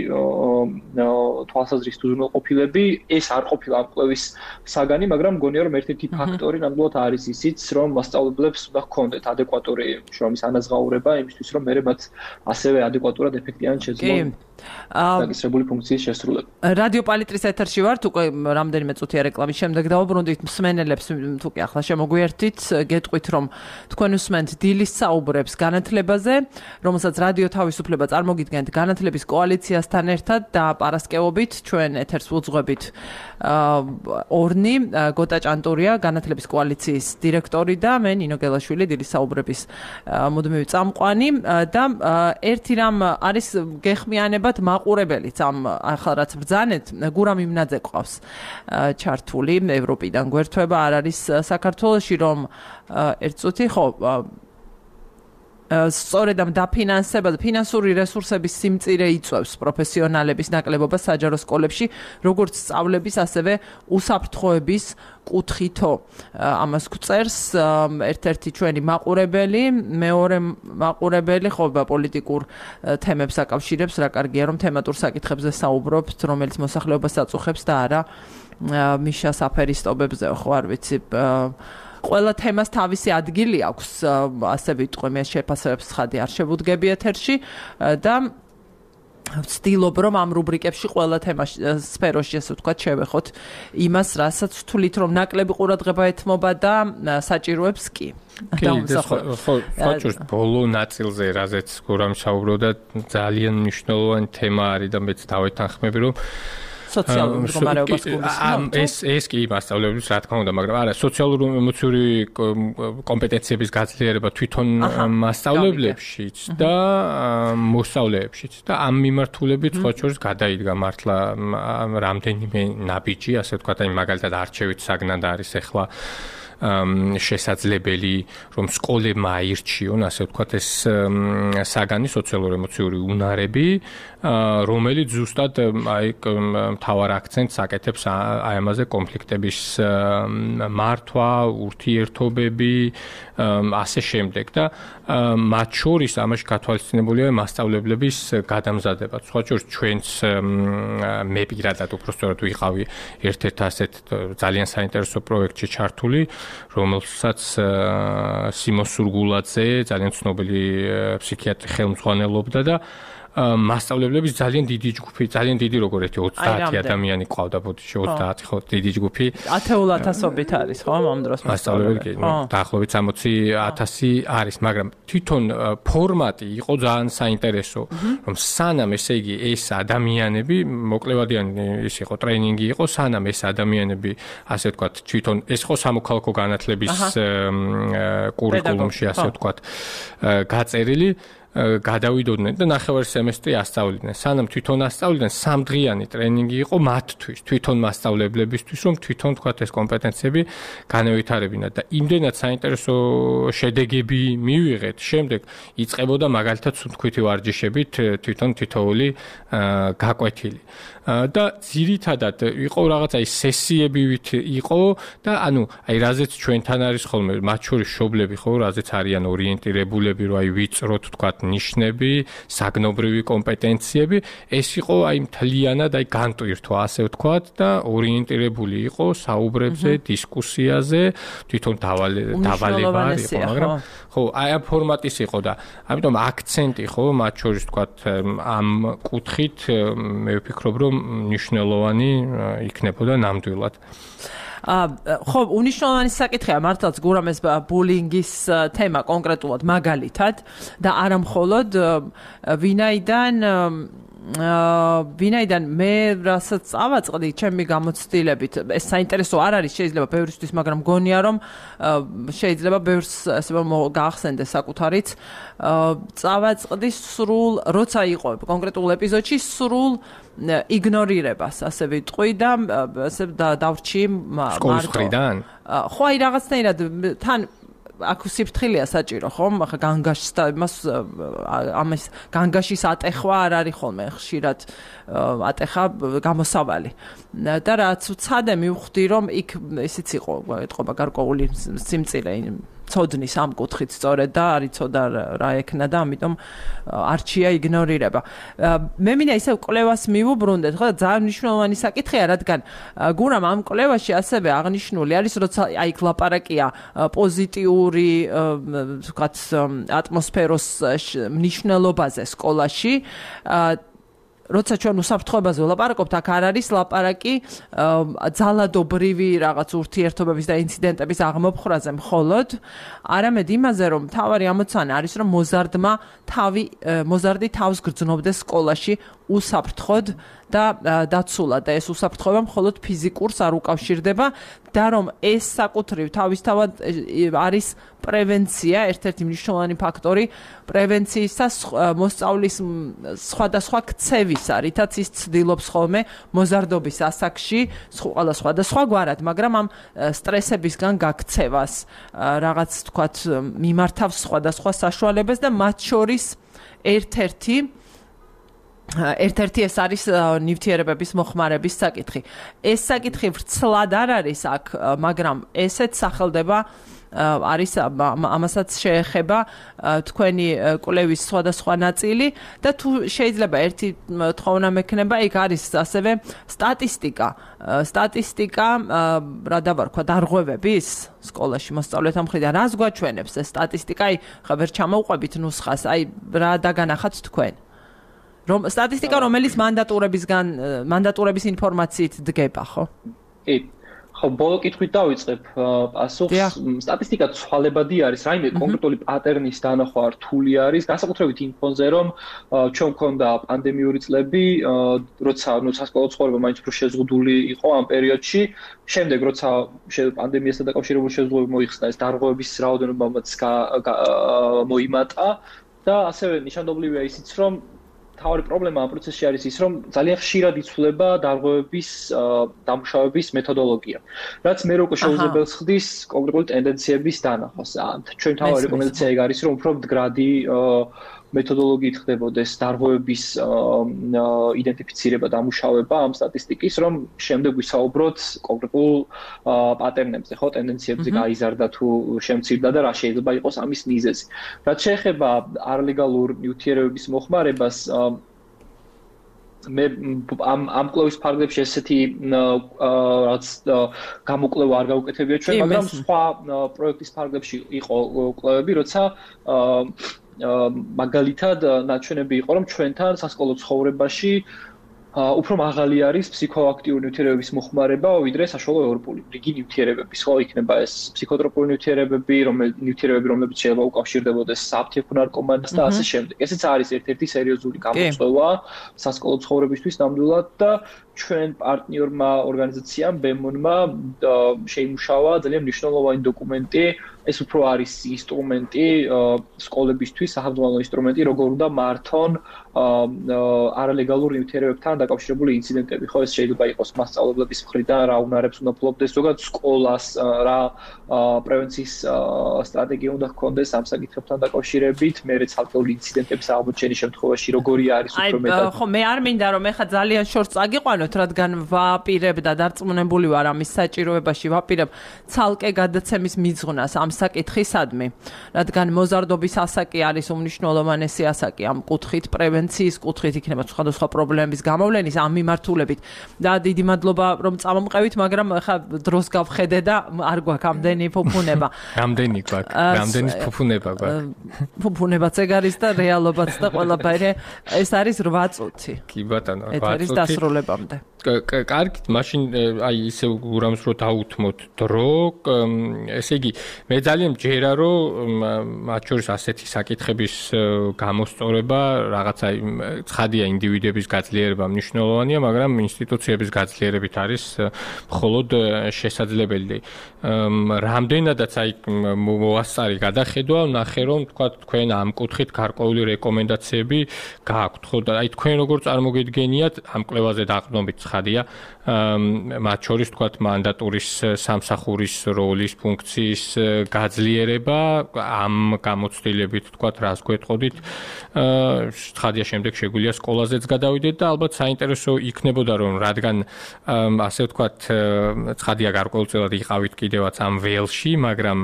თვალსაზრისით უზრუნველყოფილები. ეს არ ყოფილა ამ კვლევის საგანი, მაგრამ მგონია რომ ერთ-ერთი ფაქტორი ნამდვილად არის ისიც, რომ მასწავლებლებს უნდა ჰქონდეთ ადეკვატური შრომის ანაზღაურება იმისთვის, რომ მერე მათ ასევე ადეკვატურად ეფექტიანად შეძლონ დაგისრებული ფუნქციის შესრულება. რადიო პალიტრის ეთერში ვართ, უკვე რამდენიმე წუთია რეკლამის შემდეგ დავუბრუნდით მსმენელებს, თუ კი ახლა შემოგვიერთით, გეტყვით რომ თქვენ უსმენთ დილის საუბრებს განათლებაზე, რომელსაც რადიო თავისუფლება წარმოგიდგენთ განათლების კოალიციასთან ერთად და პარასკევობით ჩვენ ეთერს ვუძღვებით ორნი, გოტა ჭანტურია, განათლების კოალიციის დირექტორი და მე ნინო გელაშვილი, დილის საუბრების მუდმივი წამყვანი და ერთი რამ არის გეხმიანებათ მაყურებელიც ამ ახლა რაც ბრძანეთ, გურამ იმნაძე ყავს ჩართული ევროპიდან გვერდთვება არ არის საქართველოში, რომ ერთ წუთი ხო სწორედ ამ დაფინანსება, ფინანსური რესურსების სიმწირე იწვევს პროფესიონალების ნაკლებობას საჯარო სკოლებში, როგორც სწავლების, ასევე უსაფრთხოების კუთხითო. ამას გვწერს ერთ-ერთი ჩვენი მაყურებელი, მეორე მაყურებელი ხობა პოლიტიკურ თემებს აკავშირებს, რა კარგია რომ თემატურ საკითხებზე საუბრობთ, რომელიც მოსახლეობას აწუხებს და არა მიშა საფერისტობებზე, ხო არ ვიცი. ყველა თემას თავისი ადგილი აქვს, ასე ვიტყვი, მე შეფასებებს ხადი არ შევუდგები ეთერში და ვცდილობ რომ ამ რუბრიკებში ყველა თემა სფეროში ასე ვთქვათ შევეხოთ იმას, რასაც ვთვლით რომ ნაკლები ყურადღება ეთმობა და საჭიროებს კი. კი, ხო, ხოჭოს ბოლო ნაწილზე, რაზეც გურამ საუბრობდა, ძალიან მნიშვნელოვანი თემა არის და მეც დავეთანხმები, რომ სოციალურ მდგომარეობას გულისხმობთ? ეს ეს კი მასწავლებლის რა თქმა უნდა, მაგრამ არა, სოციალური ემოციური კომპეტენციების გაძლიერება თვითონ მასწავლებლებშიც და მოსწავლეებშიც და ამ მიმართულებით სხვა შორის გადაიდგა მართლა რამდენიმე ნაბიჯი, ასე ვთქვათ, აი მაგალითად არჩევით საგნად არის ახლა შესაძლებელი რომ სკოლებმა აირჩიონ, ასე ვთქვათ, ეს საგანი სოციალურ-ემოციური უნარები, რომელიც ზუსტად აი მთავარ აქცენტს აკეთებს აი ამაზე კონფლიქტების მართვა, ურთიერთობები, ასე შემდეგ და მათ შორის ამაში გათვალისწინებულია მასწავლებლების გადამზადება. სხვა შორის ჩვენც მე პირადად უბრალოდ ვიყავი ერთ-ერთ ასეთ ძალიან საინტერესო პროექტში ჩართული, რომელსაც სიმონ სურგულაძე, ძალიან ცნობილი ფსიქიატრი ხელმძღვანელობდა და მასწავლებლების ძალიან დიდი ჯგუფი, ძალიან დიდი როგორ ერთი ოცდაათი ადამიანი ყავდა ბოდიში, ოცდაათი ხო, დიდი ჯგუფი. ათეულ ათასობით არის, ხო, ამ დროს მასწავლებლები, დაახლოებით სამოცი ათასი არის, მაგრამ თვითონ ფორმატი იყო ძალიან საინტერესო, რომ სანამ ესე იგი ეს ადამიანები, მოკლევადიანი ის იყო ტრეინინგი იყო, სანამ ეს ადამიანები, ასე ვთქვათ, თვითონ ეს ხო სამოქალაქო განათლების კურიკულუმში, ასე ვთქვათ, გაწერილი გადავიდოდნენ და ნახევარი სემესტრი ასწავლიდნენ. სანამ თვითონ ასწავლიდნენ, სამდღიანი ტრენინგი იყო მათთვის, თვითონ მასწავლებლებისთვის, რომ თვითონ თქვათ ეს კომპეტენციები განევითარებინათ და იმდენად საინტერესო შედეგები მივიღეთ. შემდეგ იწყებოდა მაგალითად სუნთქვითი ვარჯიშებით თვითონ თითოეული გაკვეთილი. და ძირითადად იყო რაღაცა ის სესიებივით იყო და ანუ აი რაზეც ჩვენთან არის ხოლმე მათ შორის მშობლები ხო რაზეც არიან ორიენტირებულები რომ აი ვიწროთ თქვათ ნიშნები, საგნობრივი კომპეტენციები, ეს იყო აი მთლიანად აი განტვირთვა ასე ვთქვათ და ორიენტირებული იყო საუბრებზე, დისკუსიაზე, თვითონ დავალებარი იყო, მაგრამ ხო, აი ამ ფორმატის იყო და ამიტომ აქცენტი ხო მათ შორის თქვათ ამ კუთხით მე ვფიქრობ რომ მნიშვნელოვანი იქნებოდა ნამდვილად. ხო, უნიშნელოვანი საკითხია მართლაც გურამეს ბულინგის თემა კონკრეტულად მაგალითად და არა მხოლოდ ვინაიდან ვინაიდან მე რასაც ავაწყდი ჩემი გამოცდილებით ეს საინტერესო არ არის შეიძლება ბევრისთვის მაგრამ მგონია რომ შეიძლება ბევრს ასე გაახსენდეს საკუთარიც წავაწყდი სრულ როცა იყო კონკრეტულ ეპიზოდში სრულ იგნორირებას ასე ვიტყვი და ასე დავრჩი მარტო ხო აი რაღაცნაირად თან აქ სიფრთხილეა საჭირო ხომ ახლა განგაშს და იმას ამას განგაშის ატეხვა არ არის ხოლმე ხშირად ატეხა გამოსავალი და რაც უცადე მივხვდი რომ იქ ისიც იყო ეთყობა გარკვეული სიმწილე ცოდნის ამ კუთხით სწორედ და არ იცოდა რა ექნა და ამიტომ არჩია იგნორირება. მე მინდა ისევ კვლევას მივუბრუნდეთ, ხო და ძალიან მნიშვნელოვანი საკითხია, რადგან გურამ ამ კვლევაში ასევე აღნიშნული არის, როცა აი ლაპარაკია პოზიტიური, ვთქვათ, ატმოსფეროს მნიშვნელობაზე სკოლაში, როცა ჩვენ უსაფრთხოებაზე ვლაპარაკობთ, აქ არ არის ლაპარაკი ძალადობრივი რაღაც ურთიერთობების და ინციდენტების აღმოფხრაზე მხოლოდ, არამედ იმაზე, რომ მთავარი ამოცანა არის, რომ მოზარდმა თავი მოზარდი თავს გრძნობდეს სკოლაში უსაფრთხოდ და დაცულად და ეს უსაფრთხოება მხოლოდ ფიზიკურს არ უკავშირდება და რომ ეს საკუთრივ თავისთავად არის პრევენცია, ერთ-ერთი მნიშვნელოვანი ფაქტორი პრევენციისა მოსწავლის სხვადასხვა ქცევისა, რითაც ის ცდილობს ხოლმე მოზარდობის ასაკში, ყველა სხვადასხვა გვარად, მაგრამ ამ სტრესებისგან გაქცევას რაღაც თქვათ მიმართავს სხვადასხვა საშუალებას და მათ შორის ერთ-ერთი ერთ-ერთი ეს არის ნივთიერებების მოხმარების საკითხი. ეს საკითხი ვრცლად არ არის აქ, მაგრამ ესეც სახელდება არის ამასაც შეეხება თქვენი კვლევის სხვადასხვა ნაწილი და თუ შეიძლება ერთი თხოვნა მექნება, იქ არის ასევე სტატისტიკა. სტატისტიკა, რა დავარქვა, დარღვევების სკოლაში მოსწავლეთა მხრიდან რას გვაჩვენებს ეს სტატისტიკა? აი, ხა ვერ ჩამოვყვებით ნუსხას, აი რა დაგანახათ თქვენ? რომ სტატისტიკა რომელიც მანდატურებისგან მანდატურების ინფორმაციით დგება, ხო? კი. ხო, ბოლო კითხვით დავიწყებ პასუხს. სტატისტიკა ცვალებადი არის, რაიმე კონკრეტული პატერნის დანახვა რთული არის, განსაკუთრებით იმ ფონზე, რომ ჩვენ მქონდა პანდემიური წლები, როცა ნუ სასკოლო ცხოვრება მაინც უფრო შეზღუდული იყო ამ პერიოდში. შემდეგ როცა პანდემიასთან დაკავშირებული შეზღუდვები მოიხსნა, ეს დარღვევების რაოდენობამაც მოიმატა და ასევე ნიშანდობლივია ისიც, რომ თავი პრობლემა ამ პროცესში არის ის, რომ ძალიან ხშირად იცვლება დარღვევების დამუშავების მეთოდოლოგია, რაც მე რო შეუძლებელს ხდის კონკრეტული ტენდენციების დანახვას. ჩვენ თავი რეკომენდაცია ეგ არის, რომ უფრო მდგრადი მეთოდოლოგიით ხდებოდეს დარღვევების იდენტიფიცირება, დამუშავება ამ სტატისტიკის, რომ შემდეგ ვისაუბროთ კონკრეტულ პატერნებზე, ხო, ტენდენციებზე გაიზარდა თუ შემცირდა და რა შეიძლება იყოს ამის მიზეზი. რაც შეეხება არლეგალურ ნივთიერებების მოხმარებას, მე ამ ამ კვლევის ფარგლებში ესეთი რაც გამოკვლევა არ გავუკეთებია ჩვენ, მაგრამ სხვა პროექტის ფარგლებში იყო კვლევები, როცა მაგალითად ნაჩვენები იყო, რომ ჩვენთან სასკოლო ცხოვრებაში უფრო მაღალი არის ფსიქოაქტიური ნივთიერებების მოხმარება, ვიდრე საშუალო ევროპული რიგი ნივთიერებების, ხო, იქნება ეს ფსიქოტროპული ნივთიერებები, რომელიც ნივთიერებები, რომლებიც შეიძლება უკავშირდებოდეს საფთიებო ნარკომანს და ასე შემდეგ. ესეც არის ერთ-ერთი სერიოზული გამოწვევა სასკოლო ცხოვრებისთვის ნამდვილად და ჩვენ პარტნიორმა ორგანიზაციამ ბემონმა შეიმუშავა ძალიან მნიშვნელოვანი დოკუმენტი. ეს უფრო არის ინსტრუმენტი სკოლებისთვის, სახელმწიფო ინსტრუმენტი, როგორ უნდა მართონ არალეგალურ ნივთიერებებთან დაკავშირებული ინციდენტები. ხო, ეს შეიძლება იყოს მასწავლებლების მხრიდან, რა უნარებს უნდა ფლობდეს, ზოგადად სკოლას რა პრევენციის სტრატეგია უნდა ჰქონდეს ამ საკითხებთან დაკავშირებით, მერე ცალკეული ინციდენტების აღმოჩენის შემთხვევაში როგორი არის უფრო მეტად. ხო, მე არ მინდა რომ ეხა ძალიან შორს წაგიყვანოთ, რადგან ვაპირებ და დარწმუნებული ვარ ამის საჭიროებაში, ვაპირებ ცალკე გადაცემის მიძღვნას ამ საკითხისადმი, რადგან მოზარდობის ასაკი არის უმნიშვნელოვანესი ასაკი ამ კუთხით, პრევენციის კუთხით, იქნება სხვადასხვა პრობლემების გამოვლენის ამ მიმართულებით. და დიდი მადლობა რომ წამომყევით, მაგრამ ხა დროს გავხედე და არ გვაქვს ამდენი ფუფუნება. რამდენი გვაქვს? რამდენი ფუფუნება გვაქვს? ფუფუნებაც ეგ არის და რეალობაც და ყველაფერი. ეს არის რვა წუთი. კი ბატონო, რვა წუთი. ეთერის დასრულებამდე. კარგით, მაშინ აი ისე ურამს რო დაუთმოთ დრო, ესე იგი მე ძალიან მჯერა რომ მათ შორის ასეთი საკითხების გამოსწორება რაღაცა ცხადია ინდივიდების გაძლიერება მნიშვნელოვანია, მაგრამ ინსტიტუციების გაძლიერებით არის მხოლოდ შესაძლებელი. რამდენადაც აი მოასწარი გადახედვა, ნახე რომ თქვა თქვენ ამ კუთხით გარკვეული რეკომენდაციები გააქვთ, ხო და აი თქვენ როგორ წარმოგიდგენიათ ამ კვლევაზე დაყრდნობით ცხადია, მათ შორის თქვა მანდატურის სამსახურის როლის ფუნქციის გაძლიერება ამ გამოცდილებით თქვა რას გვეტყოდით. ცხადია შემდეგ შეგვიძლია სკოლაზეც გადავიდეთ და ალბათ საინტერესო იქნებოდა რომ რადგან ასე ვთქვათ ცხადია გარკვეულწილად იყავით კიდევაც ამ ველში, მაგრამ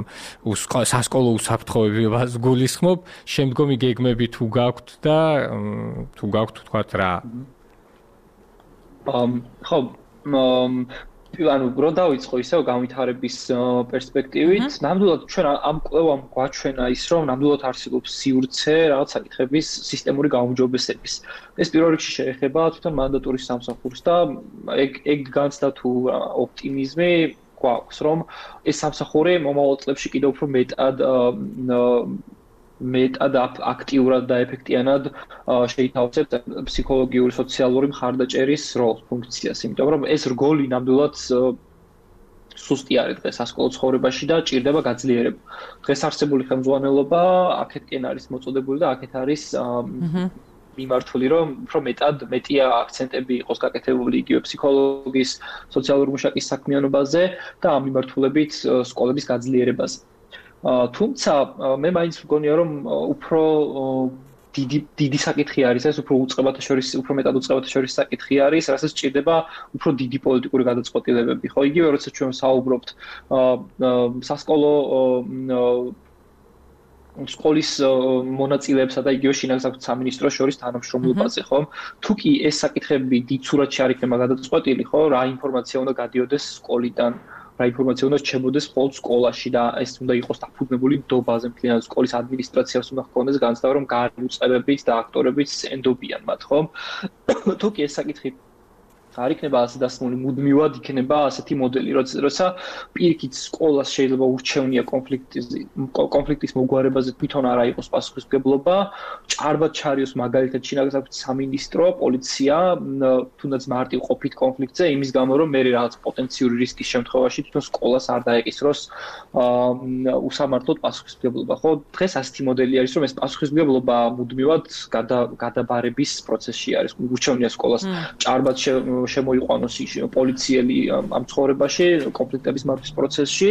სასკოლო უსაფრთხოებას გულისხმობ, შემდგომი გეგმები თუ გაქვთ და თუ გაქვთ თქვათ რა. ხო, ანუ რო დავიწყო ისევ განვითარების პერსპექტივით, ნამდვილად ჩვენ ამ კვლევამ გვაჩვენა ის, რომ ნამდვილად არსებობს სივრცე რაღაც საკითხების სისტემური გაუმჯობესების. ეს პირველ რიგში შეეხება თვითონ მანდატურის სამსახურს და ეგ ეგ განცდა თუ ოპტიმიზმი გვაქვს, რომ ეს სამსახური მომავალ წლებში კიდევ უფრო მეტად მეტად აქტიურად და ეფექტიანად შეითავსებს ფსიქოლოგიური, სოციალური მხარდაჭერის როლს, ფუნქციას, იმიტომ რომ ეს რგოლი ნამდვილად სუსტი არის დღეს სასკოლო ცხოვრებაში და ჭირდება გაძლიერება. დღეს არსებული ხელმძღვანელობა აქეთკენ არის მოწოდებული და აქეთ არის მიმართული, რომ უფრო მეტად მეტია აქცენტები იყოს გაკეთებული იგივე ფსიქოლოგის, სოციალური მუშაკის საქმიანობაზე და ამ მიმართულებით სკოლების გაძლიერებაზე. თუმცა მე მაინც მგონია რომ უფრო დიდი დიდი საკითხი არის ეს, უფრო უწყებათა შორის, უფრო მეტად უწყებათა შორის საკითხი არის, რასაც ჭირდება უფრო დიდი პოლიტიკური გადაწყვეტილებები. ხო, იგივე როცა ჩვენ საუბრობთ სასკოლო სკოლის მონაწილეებსა და იგივე შინაგან სამინისტროს შორის თანამშრომლობაზე, ხო? თუ კი ეს საკითხები დიდ სურათში არ იქნება გადაწყვეტილი, ხო, რა ინფორმაცია უნდა გადიოდეს სკოლიდან, რა ინფორმაცია უნდა რჩებოდეს მხოლოდ სკოლაში და ეს უნდა იყოს დაფუძნებული ნდობაზე, მთლიანად სკოლის ადმინისტრაციას უნდა ჰქონდეს განცდა, რომ გარემოწევებით და აქტორებით ენდობიან მათ, ხო? თუ კი ეს საკითხი არ იქნება ასე დასმული, მუდმივად იქნება ასეთი მოდელი, როცა პირიქით სკოლას შეიძლება ურჩევნია კონფლიქტის კონფლიქტის მოგვარებაზე თვითონ არა იყოს პასუხისმგებლობა, ჭარბად ჩარიოს მაგალითად შინაგანსაკუთრების სამინისტრო, პოლიცია, თუნდაც მარტივ ყოფით კონფლიქტზე, იმის გამო რომ მე რაღაც პოტენციური რისკის შემთხვევაში თვითონ სკოლას არ დაეკისროს უსამართლოდ პასუხისმგებლობა. ხო, დღეს ასეთი მოდელი არის, რომ ეს პასუხისმგებლობა მუდმივად გადაბარების პროცესში არის. ურჩევნია სკოლას ჭარბად შემოიყვანოს პოლიციელი ამ ცხოვრებაში, კონფლიქტების მართვის პროცესში,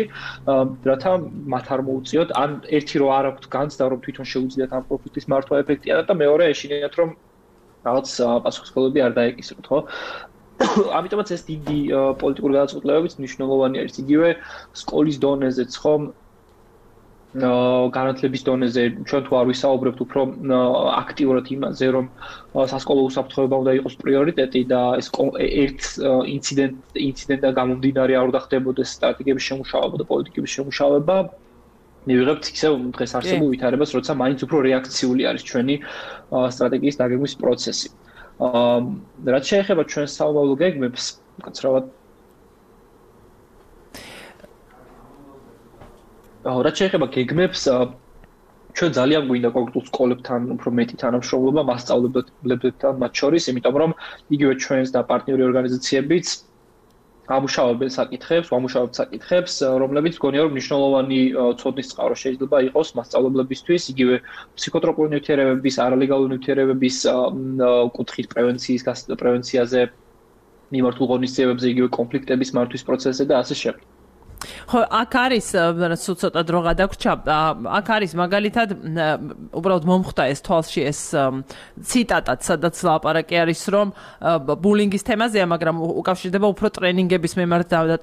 რათა მათ არ მოუწიოთ, ან ერთი რო არ აქვთ განცდა, რომ თვითონ შეუძლიათ ამ კონფლიქტის მართვა ეფექტიანად და მეორე ეშინიათ, რომ რაღაც პასუხისმგებლობები არ დაეკისროთ, ხო? ამიტომაც ეს დიდი პოლიტიკური გადაწყვეტილებებიც მნიშვნელოვანი არის. იგივე სკოლის დონეზეც, ხო? განათლების დონეზე ჩვენ თუ არ ვისაუბრებთ უფრო აქტიურად იმაზე, რომ სასკოლო უსაფრთხოება უნდა იყოს პრიორიტეტი და ეს ერთ ინციდენტ ინციდენტიდან გამომდინარე არ უნდა ხდებოდეს სტრატეგიების შემუშავება და პოლიტიკების შემუშავება. მივიღებთ ისევ დღეს არსებულ ვითარებას, როცა მაინც უფრო რეაქციული არის ჩვენი სტრატეგიის დაგეგმვის პროცესი. რაც შეეხება ჩვენს საომავლო გეგმებს, კაცრავად რაც შეეხება გეგმებს, ჩვენ ძალიან გვინდა კონკრეტულ სკოლებთან უფრო მეტი თანამშრომლობა მასწავლებლებთან მათ შორის, იმიტომ რომ იგივე ჩვენს და პარტნიორი ორგანიზაციებიც ამუშავებენ საკითხებს, ამუშავებთ საკითხებს, რომლებიც მგონია რომ მნიშვნელოვანი ცოდნის წყარო შეიძლება იყოს მასწავლებლებისთვის, იგივე ფსიქოტროპული ნივთიერებების, არალეგალური ნივთიერებების კუთხით პრევენციის პრევენციაზე, მიმართულ ღონისძიებებზე, იგივე კონფლიქტების მართვის პროცესზე და ასე შემდეგ. ხო, აქ არის ცოტა დრო გადაგვრჩა. აქ არის მაგალითად უბრალოდ მომხვდა ეს თვალში ეს ციტატაც, სადაც ლაპარაკი არის, რომ ბულინგის თემაზეა, მაგრამ უკავშირდება უფრო ტრენინგების მიმართ და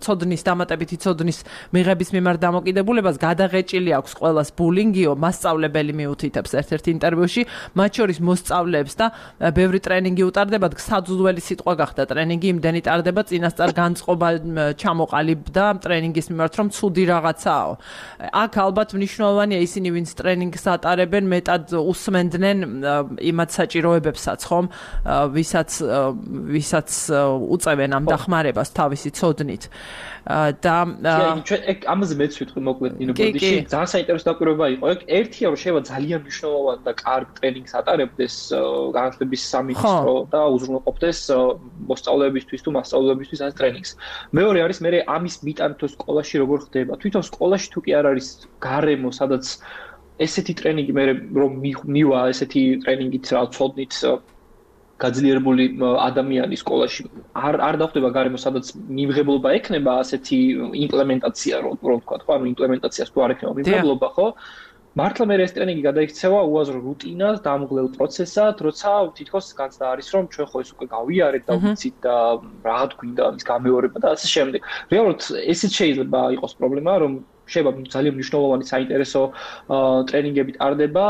ცოდნის დამატებითი ცოდნის მიღების მიმართ დამოკიდებულებას. გადაღეჭილი აქვს ყველას ბულინგიო, მასწავლებელი მიუთითებს ერთ-ერთ ინტერვიუში, მათ შორის მოსწავლეებს და ბევრი ტრენინგი უტარდებათ. საძულველი სიტყვა გახდა ტრენინგი, იმდენი ტარდება, წინასწარ განწყობა ჩამოყალიბდა ტრენინგის მიმართ, რომ ცუდი რაღაცაო. აქ ალბათ მნიშვნელოვანია ისინი, ვინც ტრენინგს ატარებენ, მეტად უსმენდნენ იმათ საჭიროებებსაც, ხომ? ვისაც ვისაც უწევენ ამ დახმარებას თავისი ცოდნით. და ჩვენ ამაზე მეც ვიტყვი მოკლედ ნინო ბოდიში, ძალიან საინტერესო დაკვირვება იყო. ერთია რომ შეიძლება ძალიან მნიშვნელოვანი და კარგ ტრენინგს ატარებდეს განათლების სამინისტრო და უზრუნველყოფდეს მოსწავლეებისთვის თუ მასწავლებლებისთვის ამ ტრენინგს. მეორე არის მე ამის მიტანა თუ სკოლაში როგორ ხდება. თვითონ სკოლაში თუ კი არ არის გარემო, სადაც ესეთი ტრენინგი მე რომ მივა ესეთი ტრენინგით რა ცოდნით გაძლიერებული ადამიანი სკოლაში არ არ დახვდება გარემო, სადაც მიმღებლობა ექნება ასეთი იმპლემენტაცია, რომ ვთქვა, ხო, ანუ იმპლემენტაციას თუ არ ექნება მიმღებლობა, ხო? მართლა მე ეს ტრენინგი გადაიქცევა უაზრო რუტინას, დამღლელ პროცესად, როცა თითქოს განცდა არის, რომ ჩვენ ხო ეს უკვე გავიარეთ და ვიცით და რა გვინდა ამის გამეორება და ასე შემდეგ. რეალურად ესეც შეიძლება იყოს პრობლემა, რომ შეიძლება ძალიან მნიშვნელოვანი საინტერესო ტრენინგები ტარდება,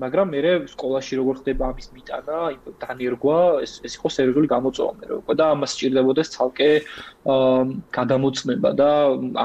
მაგრამ მე სკოლაში როგორ ხდება ამის მიტანა, დანერგვა, ეს ეს იყო სერიოზული გამოწვევა მე უკვე და ამას სჭირდებოდეს ცალკე გადამოწმება და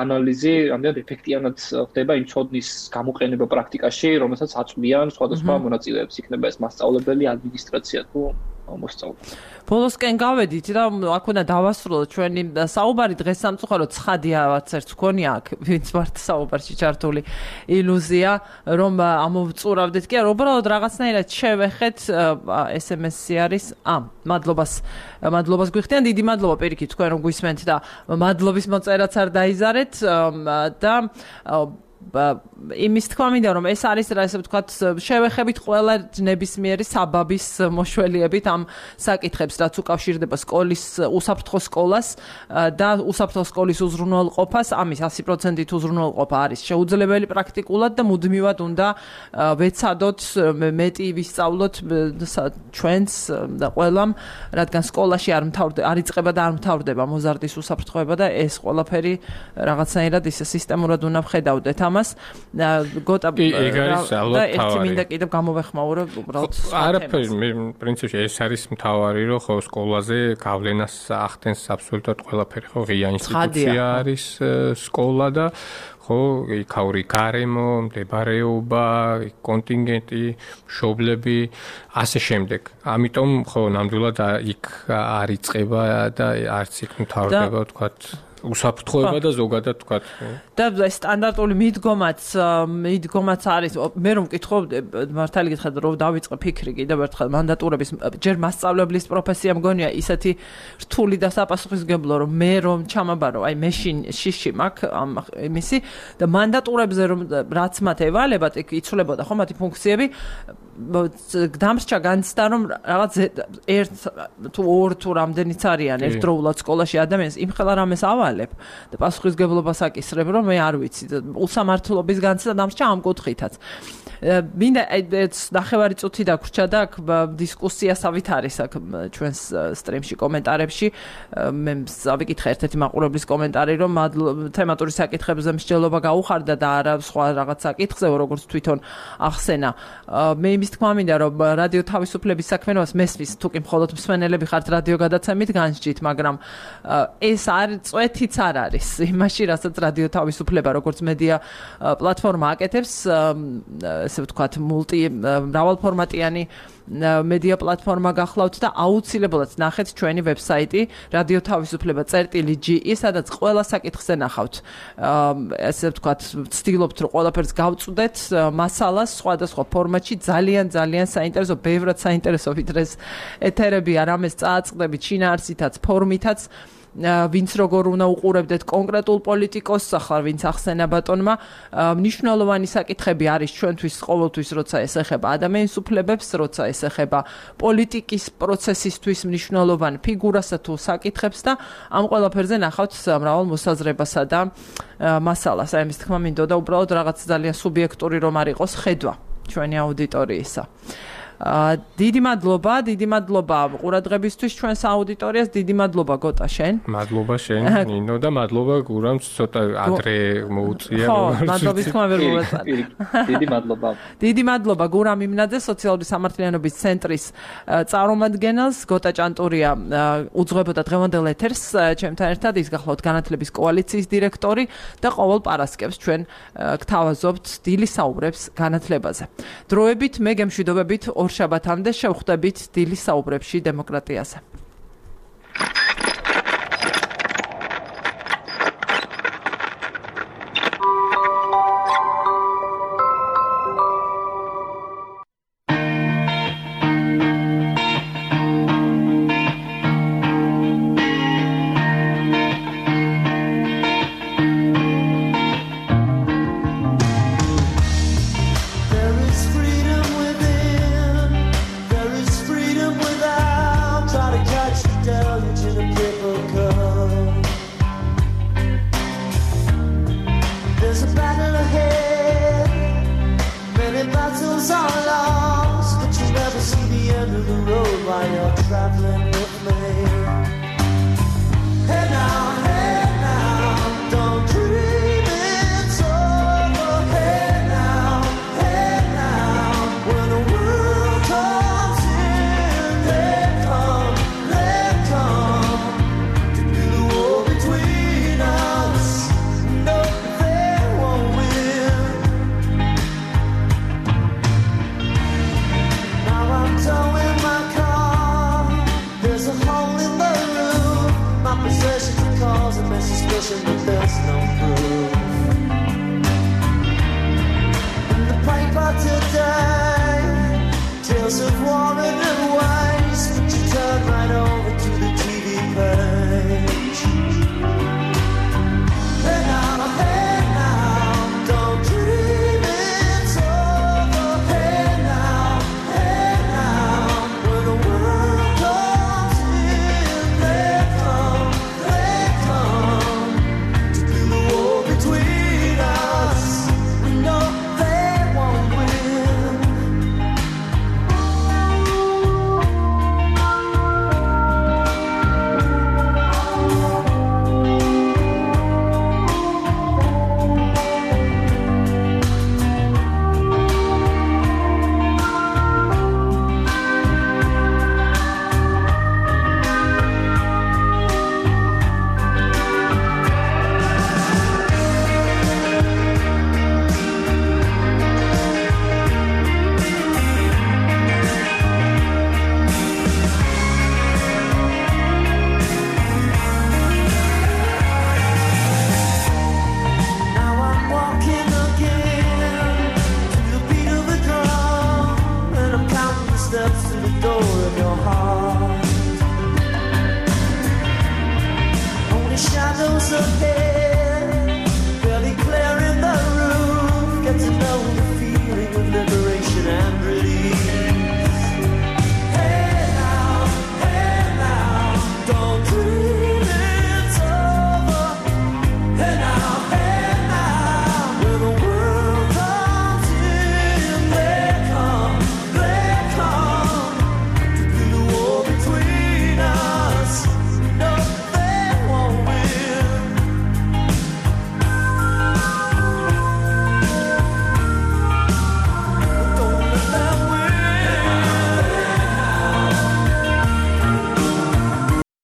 ანალიზი, რამდენად ეფექტიანად ხდება იმ ცოდნის გამოყენება პრაქტიკაში, რომელსაც აწვდიან სხვადასხვა მონაწილეებს, იქნება ეს მასწავლებელი, ადმინისტრაცია თუ მოსწავლე. ბოლოსკენ გავედით და აქ უნდა დავასრულოთ ჩვენი საუბარი დღეს სამწუხაროდ ცხადიაც ერთ მქონია აქ, ვინც ვართ საუბარში ჩართული ილუზია, რომ ამოვწურავდეთ კი არა, უბრალოდ რაღაცნაირად შევეხეთ ეს ემ ესი არის. ა, მადლობას, მადლობას გვიხდიან, დიდი მადლობა პირიქით თქვენ რომ გვისმენთ და მადლობის მოწერაც არ დაიზარეთ და იმის თქვა მინდა რომ ეს არის რა ესე ვთქვათ შევეხებით ყველა ნებისმიერი საბაბის მოშველიებით ამ საკითხებს რაც უკავშირდება სკოლის უსაფრთხო სკოლას და უსაფრთხო სკოლის უზრუნველყოფას ამის ასი პროცენტით უზრუნველყოფა არის შეუძლებელი პრაქტიკულად და მუდმივად უნდა ვეცადოთ მეტი ვისწავლოთ ჩვენს და ყველამ რადგან სკოლაში არ მთავრდება არ იწყება და არ მთავრდება მოზარდის უსაფრთხოება და ეს ყველაფერი რაღაცნაირად ისე სისტემურად უნდა ვხედავდეთ ამ ამას. გოტა ეგ არის ალბათ თავი. ერთი მინდა კიდევ გამოვეხმაურო უბრალოდ. არაფერი, მე პრინციპში ეს არის მთავარი, რომ ხო სკოლაზე გავლენას ახდენს აბსოლუტურად ყველაფერი, ხო ღია ინსტიტუცია არის სკოლა და ხო იქაური გარემო, მდებარეობა, კონტინგენტი, მშობლები, ასე შემდეგ. ამიტომ ხო ნამდვილად იქ არ იწყება და არც იქ მთავრდება ვთქვათ უსაფრთხოება და ზოგადად ვთქვათ. და სტანდარტული მიდგომაც მიდგომაც არის მე რომ მკითხო მართალი გითხრათ რომ დავიწყე ფიქრი კიდევ ერთხელ მანდატურების ჯერ მასწავლებლის პროფესია მგონია ისეთი რთული და საპასუხისმგებლო რომ მე რომ ჩამაბარო აი მე შიში მაქვს ამ იმისი და მანდატურებზე რომ რაც მათ ევალებათ იქ იცვლებოდა ხო მათი ფუნქციები დამრჩა განცდა რომ რაღაც ერთ თუ ორ თუ რამდენიც არიან ერთდროულად სკოლაში ადამიანს იმხელა რამეს ავალებ და პასუხისმგებლობას აკისრებ რომ მე არ ვიცი უსამართლობის განცდა დამრჩა ამ კუთხითაც მინდა ეს ნახევარი წუთი დაგვრჩა და აქ დისკუსიასავით არის აქ ჩვენს სტრიმში კომენტარებში მე ავიკითხე ერთ-ერთი მაყურებლის კომენტარი რომ თემატური საკითხებზე მსჯელობა გაუხარდა და არა სხვა რაღაც საკითხზე როგორც თვითონ ახსენა მე იმის თქმა მინდა რომ რადიო თავისუფლების საქმიანობას მესმის თუკი მხოლოდ მსმენელები ხართ რადიო გადაცემით განსჯით მაგრამ ეს არ წვეთიც არ არის იმაში რასაც რადიო თავისუფლება როგორც მედია პლატფორმა აკეთებს ესე ვთქვათ მულტი მრავალფორმატიანი მედია პლატფორმა გახლავთ და აუცილებლად ნახეთ ჩვენი ვებსაიტი რადიო თავისუფლება წერტილი ჯი ი სადაც ყველა საკითხზე ნახავთ ესე ვთქვათ ვცდილობთ რომ ყველაფერს გავწვდეთ მასალას სხვადასხვა ფორმატში ძალიან ძალიან საინტერესო ბევრად საინტერესო ვიდრე ეთერები არამეს წააწყდებით შინაარსითაც ფორმითაც ვინც როგორ უნდა უყურებდეთ კონკრეტულ პოლიტიკოსს ახლა ვინც ახსენა ბატონმა მნიშვნელოვანი საკითხები არის ჩვენთვის ყოველთვის როცა ეს ეხება ადამიანის უფლებებს როცა ეს ეხება პოლიტიკის პროცესისთვის მნიშვნელოვან ფიგურასა თუ საკითხებს და ამ ყველაფერზე ნახავთ მრავალ მოსაზრებასა და მასალას აი ამის თქმა მინდოდა უბრალოდ რაღაც ძალიან სუბიექტური რომ არ იყოს ხედვა ჩვენი აუდიტორიისა დიდი მადლობა, დიდი მადლობა ყურადღებისთვის ჩვენს აუდიტორიას, დიდი მადლობა გოტა შენ. მადლობა შენ, ნინო და მადლობა გურამს ცოტა ადრე მოუწია. ხო, მადლობის თქმა ვერ მოვეწარ. დიდი მადლობა. დიდი მადლობა გურამ იმნაძე, სოციალური სამართლიანობის ცენტრის წარმომადგენელს, გოტა ჭანტურია უძღვებოდა დღევანდელ ეთერს ჩემთან ერთად, ის გახლავთ განათლების კოალიციის დირექტორი და ყოველ პარასკევს ჩვენ გთავაზობთ დილის საუბრებს განათლებაზე. დროებით მე გემშვიდობებით ორ შაბათამდე შევხვდებით დილის საუბრებში დემოკრატიაზე. Today, tales of war and waste, but you turn right over.